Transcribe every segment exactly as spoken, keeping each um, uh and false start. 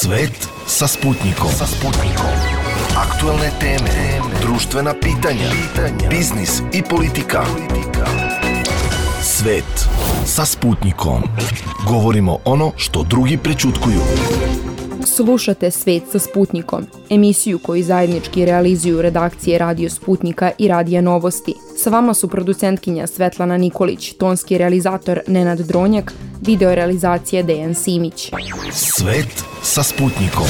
Svet sa Sputnikom. Sa Sputnikom. Aktuelne teme, društvena pitanja, biznis i politika. Svet sa Sputnikom. Govorimo ono što drugi prećutkuju. Slušate Svet sa Sputnikom, emisiju koju zajednički realizuju redakcije Radio Sputnika i Radija Novosti. Sa vama su producentkinja Svetlana Nikolić, tonski realizator Nenad Dronjak, video realizacija Dejan Simić. Svet sa Sputnikom.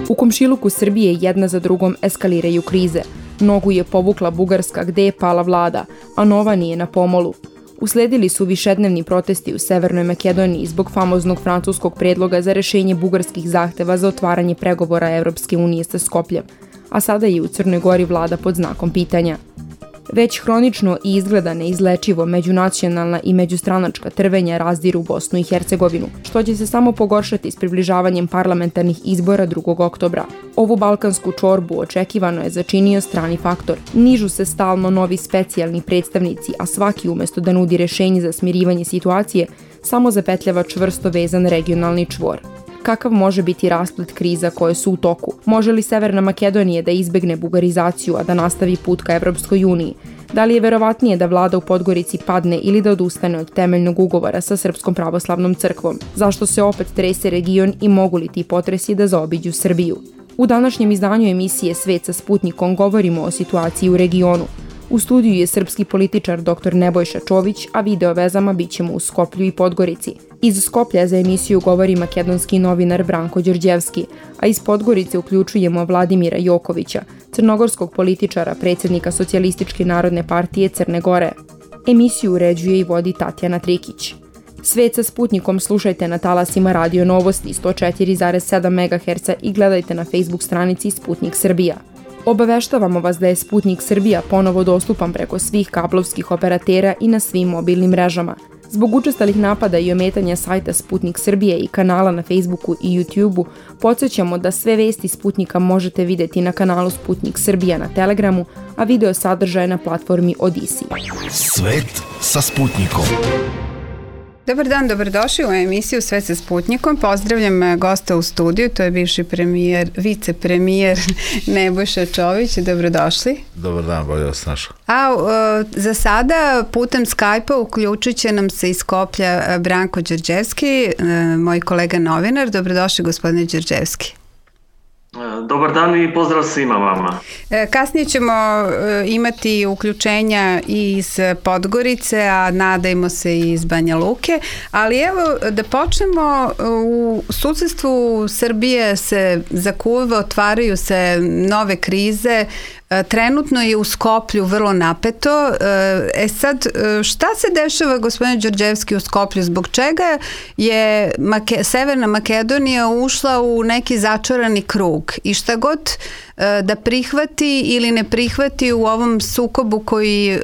U komšiluku Srbije jedna za drugom eskaliraju krize. Nogu je povukla Bugarska gde je pala vlada, a nova nije na pomolu. Usledili su višednevni protesti u Severnoj Makedoniji zbog famoznog francuskog predloga za rešenje bugarskih zahteva za otvaranje pregovora Evropske unije sa Skopljem, a sada je u Crnoj Gori vlada pod znakom pitanja. Već hronično i izgleda neizlečivo međunacionalna i međustranačka trvenja razdiru Bosnu i Hercegovinu, što će se samo pogoršati s približavanjem parlamentarnih izbora drugog oktobra. Ovu balkansku čorbu očekivano je začinio strani faktor. Nižu se stalno novi specijalni predstavnici, a svaki umesto da nudi rešenje za smirivanje situacije, samo zapetljava čvrsto vezan regionalni čvor. Kakav može biti rasplet kriza koje su u toku? Može li Severna Makedonija da izbegne bugarizaciju, a da nastavi put ka Evropskoj uniji? Da li je verovatnije da vlada u Podgorici padne ili da odustane od temeljnog ugovora sa Srpskom pravoslavnom crkvom? Zašto se opet trese region i mogu li ti potresi da zaobiđu Srbiju? U današnjem izdanju emisije Svet sa Sputnikom govorimo o situaciji u regionu. U studiju je srpski političar doktor Nebojša Čović, a video vezama bit ćemo u Skoplju i Podgorici. Iz Skoplja za emisiju govori makedonski novinar Branko Đorđevski, a iz Podgorice uključujemo Vladimira Jokovića, crnogorskog političara, predsjednika Socijalističke narodne partije Crne Gore. Emisiju uređuje i vodi Tatjana Trikić. Svet sa Sputnikom slušajte na talasima Radio Novosti sto četiri zarez sedam megaherca i gledajte na Facebook stranici Sputnik Srbija. Obaveštavamo vas da je Sputnik Srbija ponovo dostupan preko svih kablovskih operatera i na svim mobilnim mrežama. Zbog učestalih napada i ometanja sajta Sputnik Srbije i kanala na Facebooku i YouTubeu, podsjećamo da sve vesti Sputnika možete vidjeti na kanalu Sputnik Srbija na Telegramu, a video sadržaje na platformi Odisi. Svet sa Sputnikom. Dobar dan, dobrodošli u emisiju Sve sa Sputnikom. Pozdravljam gosta u studiju, to je bivši premijer, vicepremijer Nebojša Čović. Dobrodošli. Dobar dan, bolje vas našao. A uh, za sada putem Skype-a uključit će nam se iz Skoplja Branko Đorđevski, uh, moj kolega novinar. Dobrodošli, gospodine Đorđevski. Dobar dan i pozdrav svima vama. Kasnije ćemo imati uključenja i iz Podgorice, a nadajmo se i iz Banja Luke, ali evo da počnemo. U susedstvu Srbije se zakuva, otvaraju se nove krize. Trenutno je u Skoplju vrlo napeto. E sad, šta se dešava, gospodine Đorđevski, u Skoplju? Zbog čega je Make- Severna Makedonija ušla u neki začarani krug? I šta god da prihvati ili ne prihvati u ovom sukobu koji e,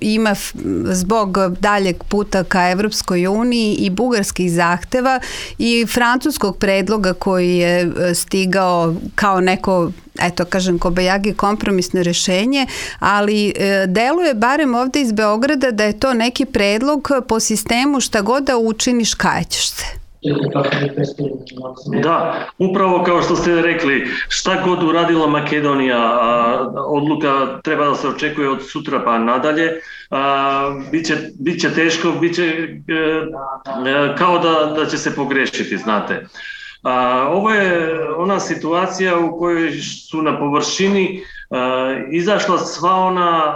ima f, zbog daljeg puta ka Evropskoj uniji i bugarskih zahteva i francuskog predloga koji je stigao kao neko, eto kažem, kobajagi kompromisno rešenje, ali e, deluje barem ovde iz Beograda da je to neki predlog po sistemu šta god da učiniš kajaćeš se. Da, upravo kao što ste rekli, šta god uradila Makedonija, odluka treba da se očekuje od sutra pa nadalje, biće, biće teško, biće kao da, da će se pogrešiti, znate. Ovo je ona situacija u kojoj su na površini izašla sva ona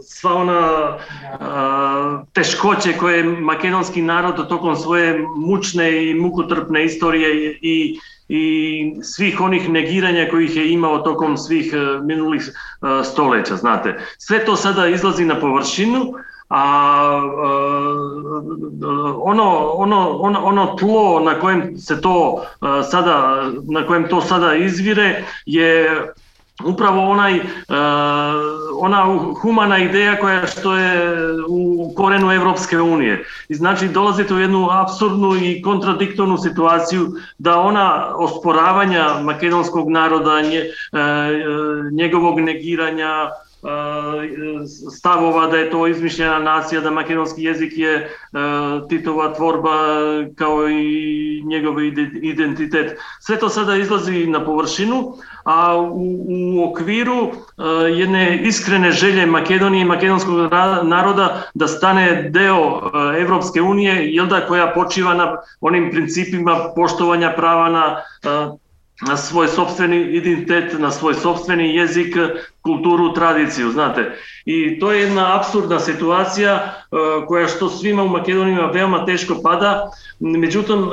sva ona a, teškoće koje makedonski narod tokom svoje mučne i mukotrpne istorije i, i svih onih negiranja kojih je imao tokom svih uh, minulih uh, stoleća, znate. Sve to sada izlazi na površinu, a uh, ono, ono, ono, ono tlo na kojem se to uh, sada, na kojem to sada izvire je upravo onaj, uh, ona humana ideja koja što je u korenu Evropske unije. I znači dolazite u jednu apsurdnu i kontradiktornu situaciju da ona osporavanja makedonskog naroda, nje, uh, njegovog negiranja, stavova da je to izmišljena nacija, da makedonski jezik je Titova tvorba kao i njegov identitet. Sve to sada izlazi na površinu, a u, u okviru jedne iskrene želje Makedonije i makedonskog naroda da stane deo Evropske unije, jel da, koja počiva na onim principima poštovanja prava na na svoj sopstveni identitet, na svoj sopstveni jezik, kulturu, tradiciju, znate. I to je jedna apsurdna situacija koja što svima u Makedoniji veoma teško pada, međutim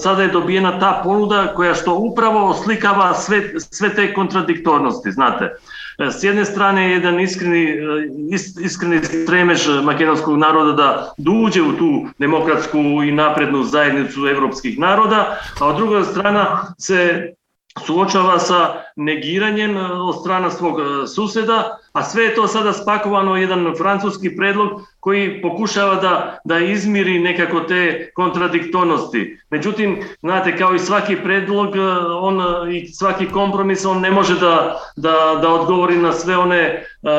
sada je dobijena ta ponuda koja što upravo oslikava sve, sve te kontradiktornosti, znate. S jedne strane je jedan iskreni, iskreni stremež makedonskog naroda da, da uđe u tu demokratsku i naprednu zajednicu evropskih naroda, a od druga strana se suočava sa negiranjem od strana svog suseda, a sve je to sada spakovano u jedan francuski predlog koji pokušava da, da izmiri nekako te kontradiktornosti. Međutim, znate, kao i svaki predlog on, i svaki kompromis, on ne može da, da, da odgovori na sve one uh,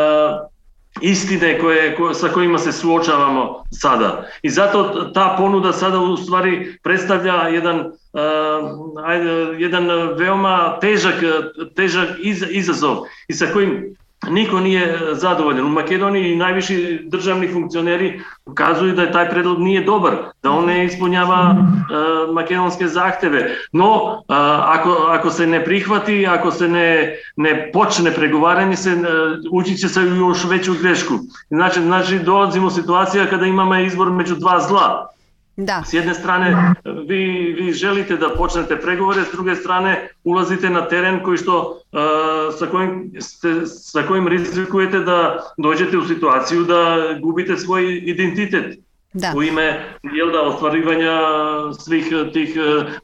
istine koje, ko, sa kojima se suočavamo sada. I zato ta ponuda sada u stvari predstavlja jedan, uh, ajde, jedan veoma težak, težak iz, izazov i sa kojim niko nije zadovoljan. U Makedoniji najviši državni funkcioneri ukazuju da je taj predlog nije dobar, da on ne ispunjava uh, makedonske zahteve. No, uh, ako, ako se ne prihvati, ako se ne, ne počne pregovaranje, se, uh, ući će se u još veću grešku. Znači, znači dolazimo u situaciju kada imamo izbor među dva zla. Da. S jedne strane vi, vi želite da počnete pregovore, s druge strane ulazite na teren koji što, uh, sa, kojim ste, sa kojim rizikujete da dođete u situaciju da gubite svoj identitet. Da. U ime jel da, ostvarivanja svih tih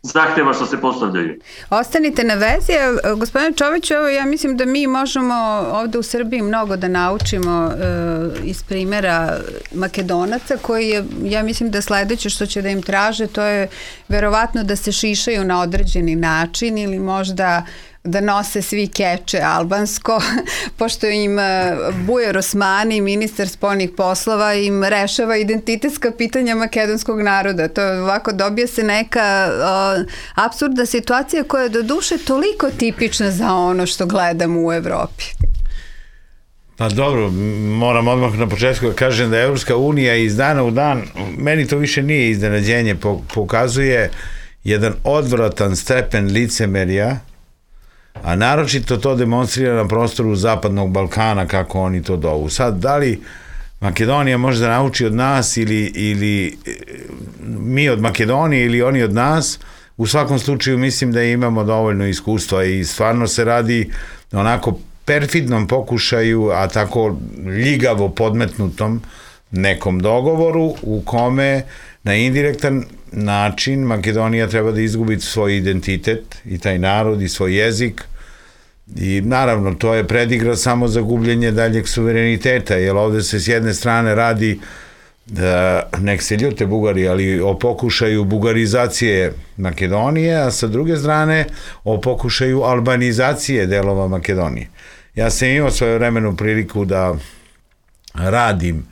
zahteva što se postavljaju. Ostanite na vezi. Gospodine Čoviću, evo ja mislim da mi možemo ovde u Srbiji mnogo da naučimo uh, iz primjera Makedonaca, koji je, ja mislim da sledeće što će da im traže, to je verovatno da se šišaju na određeni način ili možda da nose svi keče albansko, pošto im Bujar Osmani, ministar spoljnih poslova, im rešava identitetska pitanja makedonskog naroda. To je ovako, dobije se neka o, apsurdna situacija koja je do duše toliko tipična za ono što gledamo u Evropi. Pa dobro, moram odmah na početku da kažem da Evropska unija iz dana u dan, meni to više nije iznenađenje, pokazuje jedan odvratan stepen licemerja, a naročito to demonstrira na prostoru Zapadnog Balkana, kako oni to dovu. Sad, da li Makedonija može da nauči od nas ili, ili mi od Makedonije ili oni od nas, u svakom slučaju mislim da imamo dovoljno iskustva i stvarno se radi onako perfidnom pokušaju, a tako ljigavo podmetnutom nekom dogovoru u kome na indirektan način Makedonija treba da izgubi svoj identitet i taj narod i svoj jezik i naravno to je predigra samo za gubljenje daljeg suvereniteta, jer ovde se s jedne strane radi da, nek se ljute Bugari, ali o pokušaju bugarizacije Makedonije, a sa druge strane o pokušaju albanizacije delova Makedonije. Ja sam imao svoju vremenu priliku da radim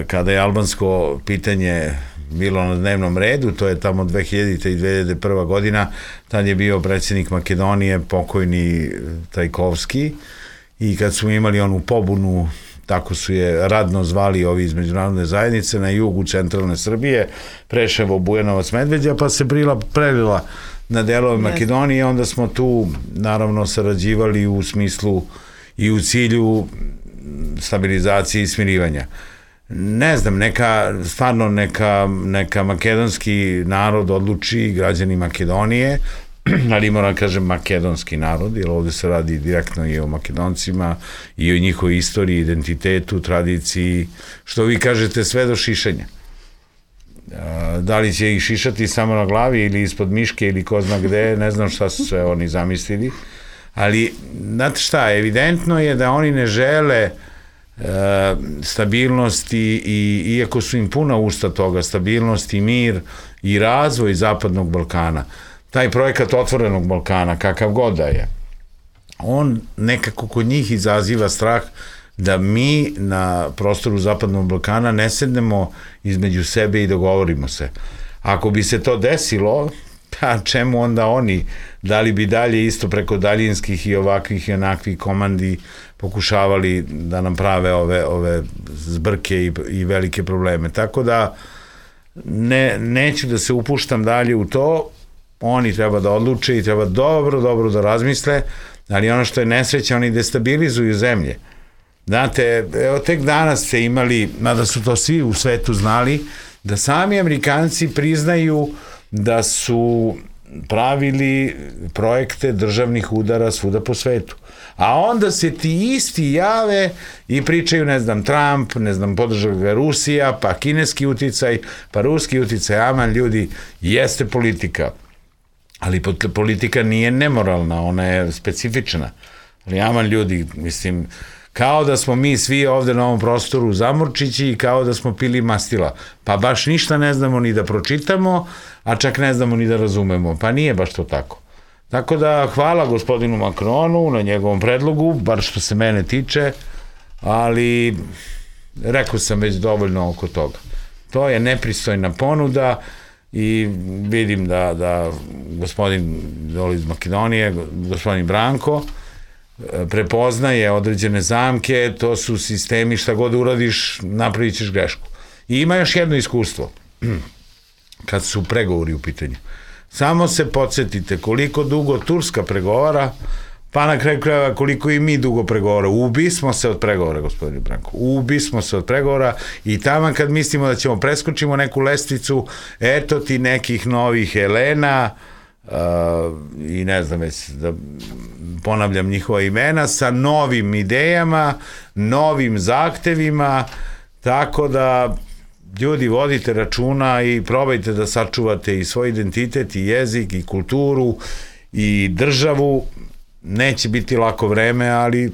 kada je albansko pitanje bilo na dnevnom redu, to je tamo dve hiljadite i dve hiljade prva godina, tad je bio predsjednik Makedonije, pokojni Trajkovski, i kad smo imali onu pobunu, tako su je radno zvali ovi iz međunarodne zajednice, na jugu centralne Srbije, Preševo, Bujanovac, Medveđa, pa se prila, prelila na delove Makedonije, onda smo tu naravno sarađivali u smislu i u cilju stabilizacije i smirivanja. Ne znam, neka, stvarno neka, neka makedonski narod odluči, građani Makedonije, ali moram kažem makedonski narod, jer ovde se radi direktno i o Makedoncima i o njihovoj istoriji, identitetu, tradiciji, što vi kažete sve do šišanja. Da li će ih šišati samo na glavi ili ispod miške ili ko zna gde, ne znam šta su sve oni zamislili, ali znate šta, evidentno je da oni ne žele stabilnost i, i iako su im puna usta toga, stabilnost i mir i razvoj Zapadnog Balkana, taj projekat Otvorenog Balkana, kakav god da je, on nekako kod njih izaziva strah da mi na prostoru Zapadnog Balkana ne sednemo između sebe i dogovorimo se. Ako bi se to desilo, pa čemu onda oni, da li bi dalje isto preko daljinskih i ovakvih i onakvih komandi pokušavali da nam prave ove, ove zbrke i, i velike probleme. Tako da ne, neću da se upuštam dalje u to, oni treba da odluče i treba dobro, dobro da razmisle, ali ono što je nesreća, oni destabilizuju zemlje. Znate, evo tek danas ste imali, mada su to svi u svetu znali, da sami Amerikanci priznaju da su pravili projekte državnih udara svuda po svetu. A onda se ti isti jave i pričaju, ne znam, Trump, ne znam, podržava ga Rusija, pa kineski uticaj, pa ruski uticaj, aman, ljudi, jeste politika. Ali politika nije nemoralna, ona je specifična. Ali aman, ljudi, mislim, kao da smo mi svi ovde na ovom prostoru zamorčići i kao da smo pili mastila. Pa baš ništa ne znamo ni da pročitamo, a čak ne znamo ni da razumemo. Pa nije baš to tako. Tako da hvala gospodinu Macronu na njegovom predlogu, bar što se mene tiče, ali rekao sam već dovoljno oko toga. To je nepristojna ponuda i vidim da, da gospodin dole iz Makedonije, gospodin Branko, prepoznaje određene zamke, to su sistemi, šta god uradiš, napravit ćeš grešku. I ima još jedno iskustvo, kad su pregovori u pitanju. Samo se podsjetite koliko dugo Turska pregovara, pa na kraju krajeva koliko i mi dugo pregovara. Ubismo se od pregovora, gospodine Branko. Ubismo se od pregovora i tamo kad mislimo da ćemo preskočimo neku lestvicu, eto ti nekih novih Elena, Uh, i ne znam već da ponavljam njihova imena, sa novim idejama, novim zahtevima, tako da ljudi vodite računa i probajte da sačuvate i svoj identitet i jezik i kulturu i državu. Neće biti lako vreme, ali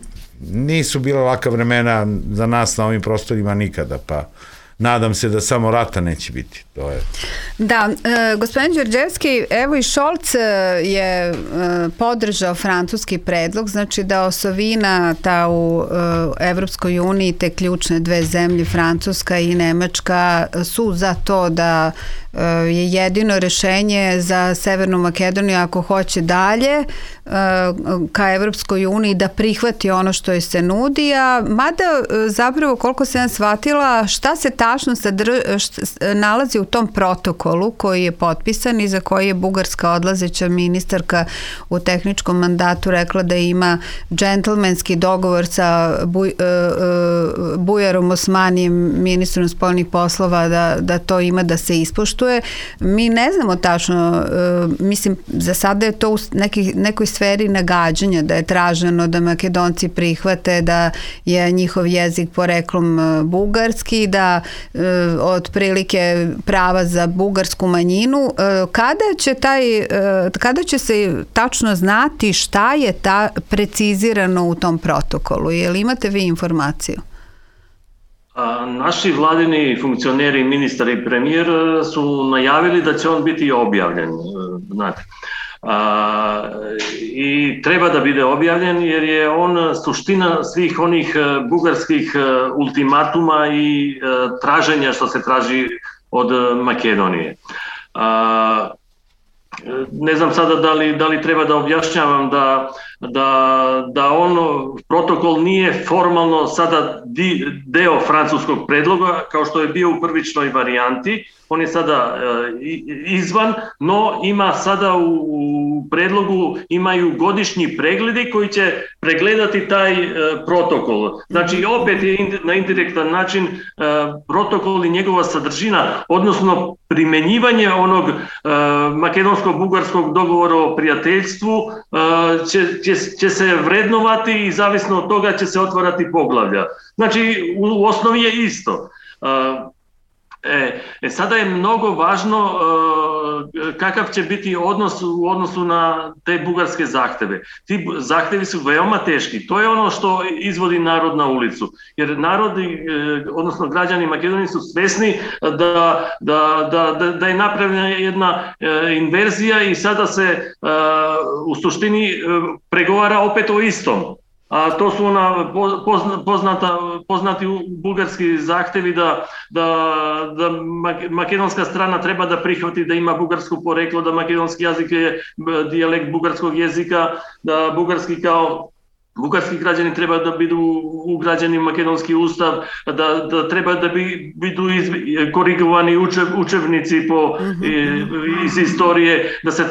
nisu bila laka vremena za nas na ovim prostorima nikada, pa nadam se da samo rata neće biti. To je. Da, e, gospodin Đorđevski, evo i Šolc je e, podržao francuski predlog, znači da osovina ta u e, Evropskoj uniji, te ključne dve zemlje, Francuska i Nemačka, su za to da e, je jedino rešenje za Severnu Makedoniju ako hoće dalje e, ka Evropskoj uniji da prihvati ono što joj se nudi, a mada e, zapravo koliko se ja shvatila, šta se tačno sadr, šta, nalazi u tom protokolu koji je potpisan i za koji je bugarska odlazeća ministarka u tehničkom mandatu rekla da ima džentlmenski dogovor sa Buj, uh, uh, Bujarom Osmanijem, ministrom spoljnih poslova, da, da to ima da se ispoštuje. Mi ne znamo tačno, uh, mislim, za sada je to u neki, nekoj sferi nagađanja, da je traženo da Makedonci prihvate da je njihov jezik poreklom uh, bugarski, da uh, otprilike prava za bugarsku manjinu. Kada će taj, kada će se tačno znati šta je ta precizirano u tom protokolu? Je li imate vi informaciju? A, naši vladini funkcioneri, ministar i premijer su najavili da će on biti objavljen, znate. A, i treba da bude objavljen jer je on suština svih onih bugarskih ultimatuma i traženja što se traži od Makedonije. A, ne znam sada da li, da li treba da objašnjavam da, da, da ono protokol nije formalno sada di, deo francuskog predloga kao što je bio u prvičnoj varijanti. On je sada e, izvan, no ima sada u, u predlogu imaju godišnji pregledi koji će pregledati taj e, protokol. Znači opet je in, na indirektan način e, protokol i njegova sadržina, odnosno primenjivanje onog e, makedonsko-bugarskog dogovora o prijateljstvu e, će, će, će se vrednovati i zavisno od toga će se otvarati poglavlja. Znači u, u osnovi je isto. E, E, e, sada je mnogo važno e, kakav će biti odnos u odnosu na te bugarske zahteve. Ti zahtevi su veoma teški. To je ono što izvodi narod na ulicu. Jer narodi, e, odnosno građani Makedonije su svesni da, da, da, da je napravljena jedna e, inverzija i sada se e, u suštini e, pregovara opet o istom. a to su ona poznata, poznati bugarski zahtevi da, da, da makedonska strana treba da prihvati da ima bugarsko poreklo, da makedonski jezik je dijalekt bugarskog jezika, da bugarski kao bugarski građani treba da budu ugrađeni u makedonski ustav, da, da treba da bi, budu iz, korigovani učev, učevnici po, mm-hmm. iz istorije, da se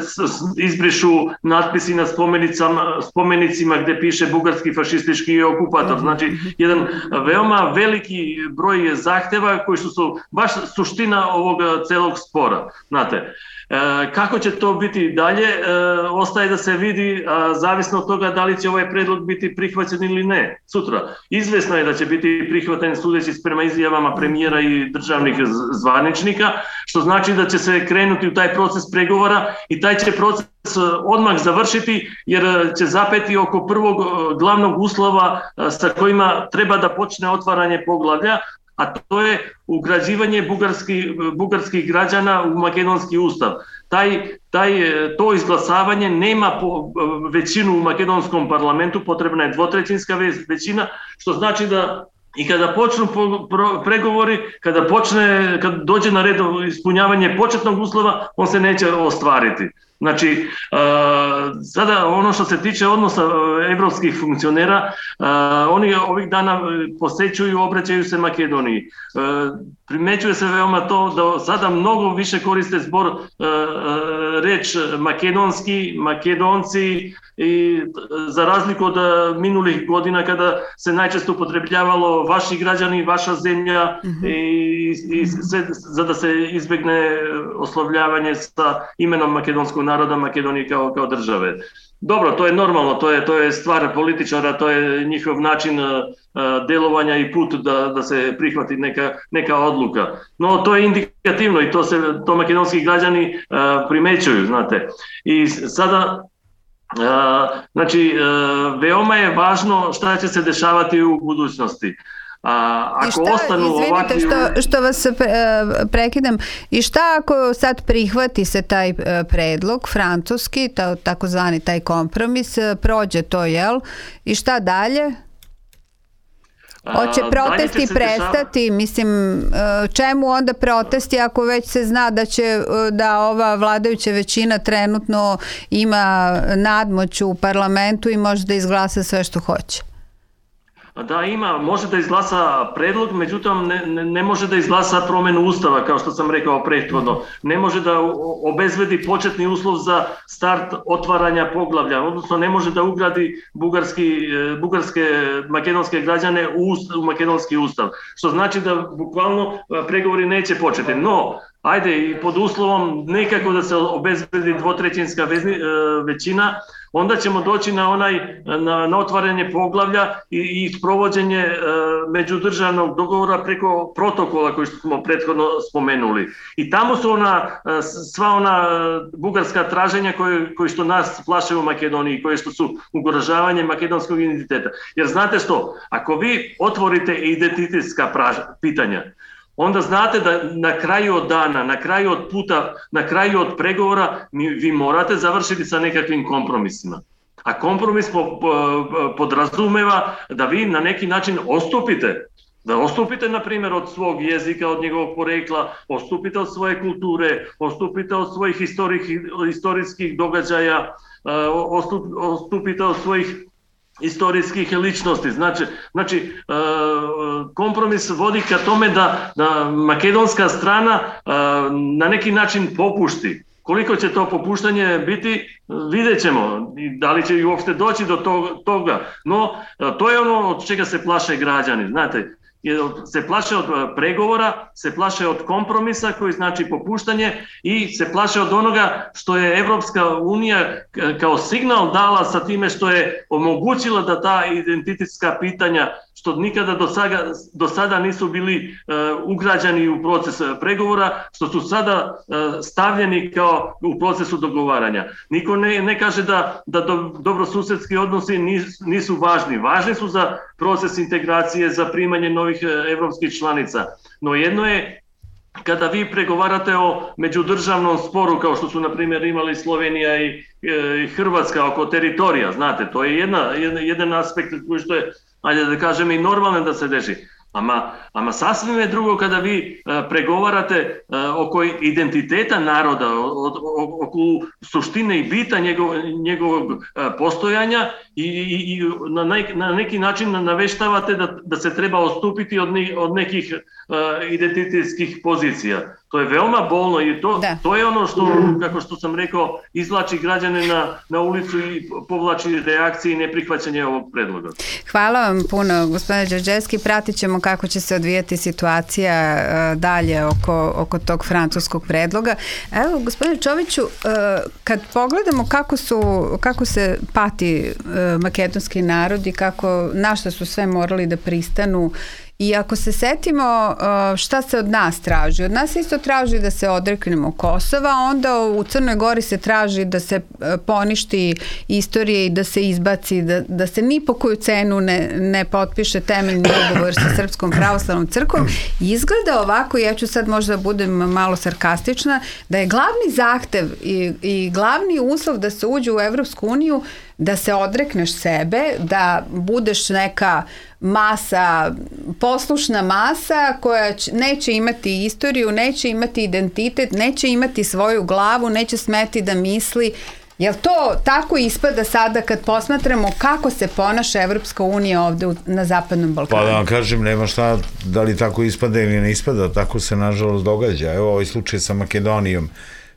izbrišu natpisi na spomenicama, spomenicima gde piše bugarski fašistički okupator. Mm-hmm. Znači, jedan veoma veliki broj zahteva koji su, su baš suština ovog celog spora. Znate, E, kako će to biti dalje, e, ostaje da se vidi, a, zavisno od toga da li će ovaj predlog biti prihvaćen ili ne sutra. Izvesno je da će biti prihvaćen sudeći prema izjavama premijera i državnih zvaničnika, što znači da će se krenuti u taj proces pregovora i taj će proces odmah završiti jer će zapeti oko prvog glavnog uslova sa kojima treba da počne otvaranje poglavlja, a to je ugrađivanje bugarskih, bugarskih građana u makedonski ustav. Taj, taj, to izglasavanje nema po, većinu u makedonskom parlamentu, potrebna je dvotrećinska većina, što znači da i kada počnu pregovori, kada počne, kad dođe na red ispunjavanje početnog uslova, on se neće ostvariti. Znači, sada ono što se tiče odnosa evropskih funkcionera, oni ovih dana posećuju, obraćaju se Makedoniji. Primećuje se veoma to da sada mnogo više koriste zbor reč makedonski, makedonci, i za razliku od minulih godina kada se najčesto upotrebljavalo vaši građani, vaša zemlja, mm-hmm. i, i sve, za da se izbegne oslovljavanje sa imenom makedonskog naroda Makedonije kao, kao države. Dobro, to je normalno, to je, to je stvar političara, to je njihov način uh, delovanja i put da, da se prihvati neka, neka odluka. No, to je indikativno i to se to makedonski građani uh, primećuju, znate. I sada Uh, znači, uh, veoma je važno šta će se dešavati u budućnosti. A, ako I šta, ostanu izvinite ovakvi... što, što vas pre, prekidam, i šta ako sad prihvati se taj predlog francuski, ta, takozvani taj kompromis, prođe to, jel? I šta dalje? Hoće protesti prestati, dešava... mislim, čemu onda protesti ako već se zna da će da ova vladajuća većina trenutno ima nadmoć u parlamentu i može da izglasa sve što hoće? Da, ima, može da izglasa predlog, međutim ne, ne, ne može da izglasa promjenu ustava, kao što sam rekao prethodno. Ne može da obezbedi početni uslov za start otvaranja poglavlja, odnosno ne može da ugradi bugarski, bugarske, makedonske građane u, ust, u makedonski ustav. Što znači da bukvalno pregovori neće početi. No, ajde, i pod uslovom nekako da se obezbedi dvotrećinska većina, onda ćemo doći na onaj na, na otvaranje poglavlja i, i provođenje e, međudržavnog dogovora preko protokola koji smo prethodno spomenuli. I tamo su ona sva ona bugarska traženja koje, koje što nas plaše u Makedoniji, koje što su ugrožavanje makedonskog identiteta. Jer znate što, ako vi otvorite identitetska praž, pitanja, onda znate da na kraju od dana, na kraju od puta, na kraju od pregovora vi morate završiti sa nekakvim kompromisima. A kompromis po, po, podrazumeva da vi na neki način ostupite. Da ostupite, na primjer, od svog jezika, od njegovog porekla, ostupite od svoje kulture, ostupite od svojih istorijskih događaja, ostupite od svojih istorijskih ličnosti. Znači, znači kompromis vodi ka tome da, da makedonska strana na neki način popušti. Koliko će to popuštanje biti, vidjet ćemo. Da li će i uopšte doći do toga. No, to je ono od čega se plaše građani. Znate, se plaše od pregovora, se plaše od kompromisa koji znači popuštanje i se plaše od onoga što je Evropska unija kao signal dala sa time što je omogućila da ta identitetska pitanja što nikada do sada, do sada nisu bili uh, ugrađeni u proces pregovora, što su sada uh, stavljeni kao u procesu dogovaranja. Niko ne, ne kaže da, da do, dobrosusedski odnosi nisu, nisu važni. Važni su za proces integracije, za primanje novih uh, evropskih članica. No jedno je kada vi pregovarate o međudržavnom sporu, kao što su, na primjer, imali Slovenija i, i Hrvatska oko teritorija, znate, to je jedna, jedan, jedan aspekt koji što je, ajde da kažem, i normalno da se deši. Ama, ama sasvim je drugo kada vi uh, pregovarate uh, oko identiteta naroda, oko suštine i bita njegov, njegovog uh, postojanja i, i, i na, nek, na neki način naveštavate da, da se treba odstupiti od, ne, od nekih uh, identitetskih pozicija. To je veoma bolno i to, to je ono što, kako što sam rekao, izvlači građane na, na ulicu i povlači reakcije i neprihvaćanje ovog predloga. Hvala vam puno, gospodine Đorđevski. Pratit ćemo kako će se odvijati situacija uh, dalje oko, oko tog francuskog predloga. Evo, gospodine Čoviću, uh, kad pogledamo kako, su, kako se pati uh, makedonski narod i kako, na šta su sve morali da pristanu, i ako se setimo šta se od nas traži, od nas isto traži da se odreknemo Kosova, onda u Crnoj Gori se traži da se poništi istorije i da se izbaci, da, da se ni po koju cenu ne, ne potpiše temeljni dogovor sa Srpskom pravoslavnom crkvom. I izgleda ovako, ja ću sad možda budem malo sarkastična, da je glavni zahtev i, i glavni uslov da se uđe u Evropsku uniju da se odrekneš sebe, da budeš neka masa, poslušna masa koja će, neće imati istoriju, neće imati identitet, neće imati svoju glavu, neće smeti da misli. Jel to tako ispada sada kad posmatramo kako se ponaša Evropska unija ovde u, na Zapadnom Balkanu? Pa da vam kažem, nema šta, da li tako ispada ili ne ispada, tako se nažalost događa. Evo ovaj slučaj sa Makedonijom.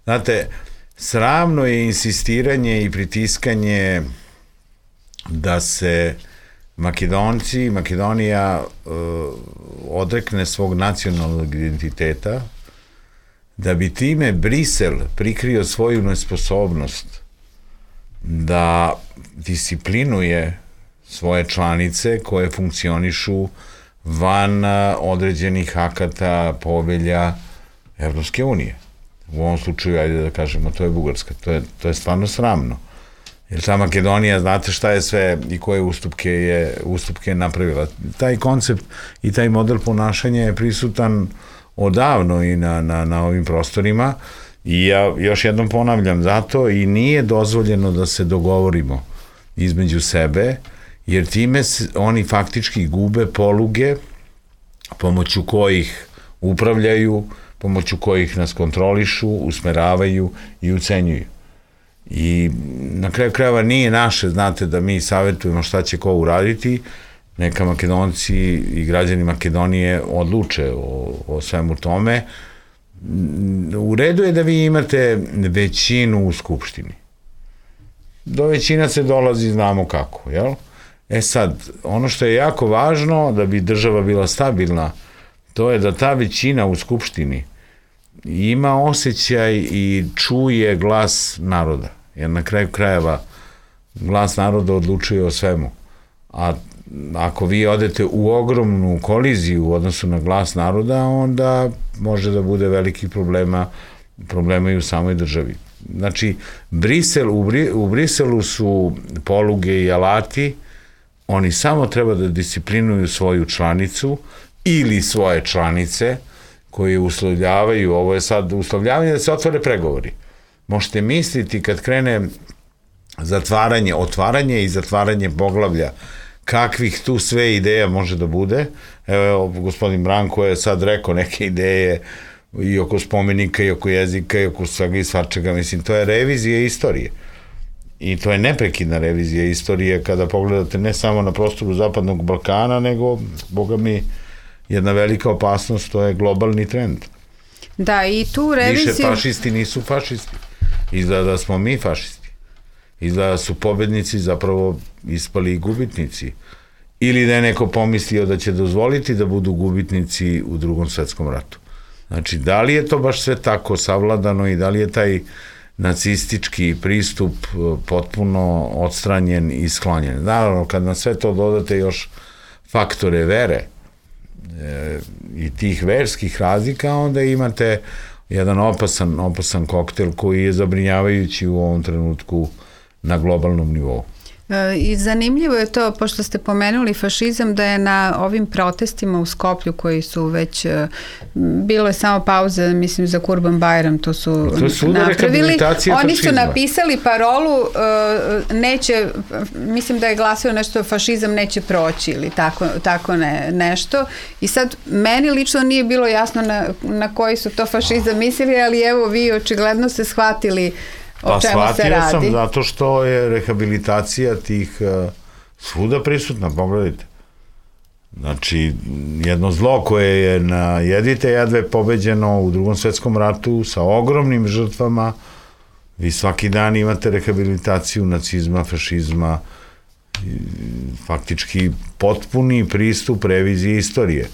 Znate, sramno je insistiranje i pritiskanje da se Makedonci, Makedonija uh, odrekne svog nacionalnog identiteta, da bi time Brisel prikrio svoju nesposobnost da disciplinuje svoje članice koje funkcionišu van određenih akata, povelja Evropske unije. U ovom slučaju, ajde da kažemo, to je Bugarska. To je, to je stvarno sramno. Jer ta Makedonija, znate šta je sve i koje ustupke je, ustupke je napravila. Taj koncept i taj model ponašanja je prisutan odavno i na, na, na ovim prostorima i ja još jednom ponavljam, zato i nije dozvoljeno da se dogovorimo između sebe, jer time se, oni faktički gube poluge pomoću kojih upravljaju, pomoću kojih nas kontrolišu, usmeravaju i ucenjuju. I na kraju krajeva nije naše, znate, da mi savjetujemo šta će ko uraditi, neka Makedonci i građani Makedonije odluče o, o svemu tome. U redu je da vi imate većinu u Skupštini. Do većina se dolazi, znamo kako, jel? E sad, ono što je jako važno da bi država bila stabilna, to je da ta većina u Skupštini ima osjećaj i čuje glas naroda. Jer na kraju krajeva glas naroda odlučuje o svemu. A ako vi odete u ogromnu koliziju u odnosu na glas naroda, onda može da bude velikih problema, problema i u samoj državi. Znači, Brisel, u, Bri, u Briselu su poluge i alati, oni samo treba da disciplinuju svoju članicu ili svoje članice koje uslovljavaju, ovo je sad uslovljavanje da se otvore pregovori. Možete misliti kad krene zatvaranje, otvaranje i zatvaranje poglavlja, kakvih tu sve ideja može da bude. Evo, gospodin Branko je sad rekao neke ideje i oko spomenika, i oko jezika, i oko svega i svačega. Mislim, to je revizija istorije. I to je neprekidna revizija istorije kada pogledate ne samo na prostoru Zapadnog Balkana, nego, boga mi, jedna velika opasnost, to je globalni trend. Da, i tu reviziju... Više fašisti nisu fašisti. Izgleda da smo mi fašisti. Izgleda da su pobednici zapravo ispali gubitnici. Ili da je neko pomislio da će dozvoliti da budu gubitnici u Drugom svetskom ratu. Znači, da li je to baš sve tako savladano i da li je taj nacistički pristup potpuno odstranjen i sklonjen? Naravno, kad na sve to dodate još faktore vere e, i tih verskih razlika, onda imate jedan opasan, opasan koktel koji je zabrinjavajući u ovom trenutku na globalnom nivou. I zanimljivo je to, pošto ste pomenuli fašizam, da je na ovim protestima u Skoplju koji su već, bilo je samo pauza, mislim, za Kurban Bajram, to su to napravili. Oni su napisali parolu, neće, mislim da je glasio nešto, fašizam neće proći ili tako, tako ne, nešto. I sad, meni lično nije bilo jasno na, na koji su to fašizam mislili, ali evo vi očigledno se shvatili o čemu se radi. Pa shvatio sam zato što je rehabilitacija tih uh, svuda prisutna, pogledajte. Znači, jedno zlo koje je na jedvite jedve pobeđeno u Drugom svetskom ratu sa ogromnim žrtvama, vi svaki dan imate rehabilitaciju nacizma, fašizma, faktički potpuni pristup reviziji istorije.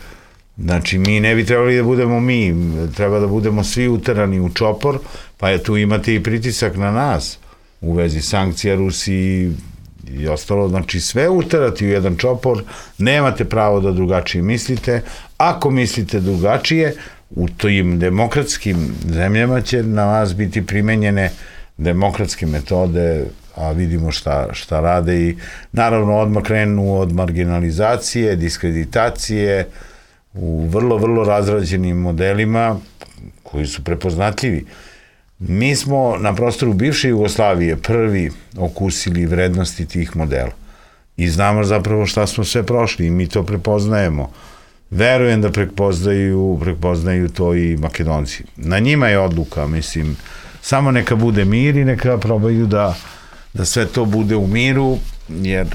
Znači, mi ne bi trebali da budemo mi, treba da budemo svi uterani u čopor, pa je tu imate i pritisak na nas u vezi sankcija Rusiji i ostalo. Znači, sve uterati u jedan čopor, nemate pravo da drugačije mislite. Ako mislite drugačije, u tim demokratskim zemljama će na vas biti primenjene demokratske metode, a vidimo šta, šta rade i naravno odmah krenu od marginalizacije, diskreditacije, u vrlo, vrlo razrađenim modelima koji su prepoznatljivi. Mi smo na prostoru bivše Jugoslavije prvi okusili vrednosti tih modela i znamo zapravo šta smo sve prošli i mi to prepoznajemo. Verujem da prepoznaju, prepoznaju to i Makedonci. Na njima je odluka, mislim, samo neka bude mir i neka probaju da, da sve to bude u miru, jer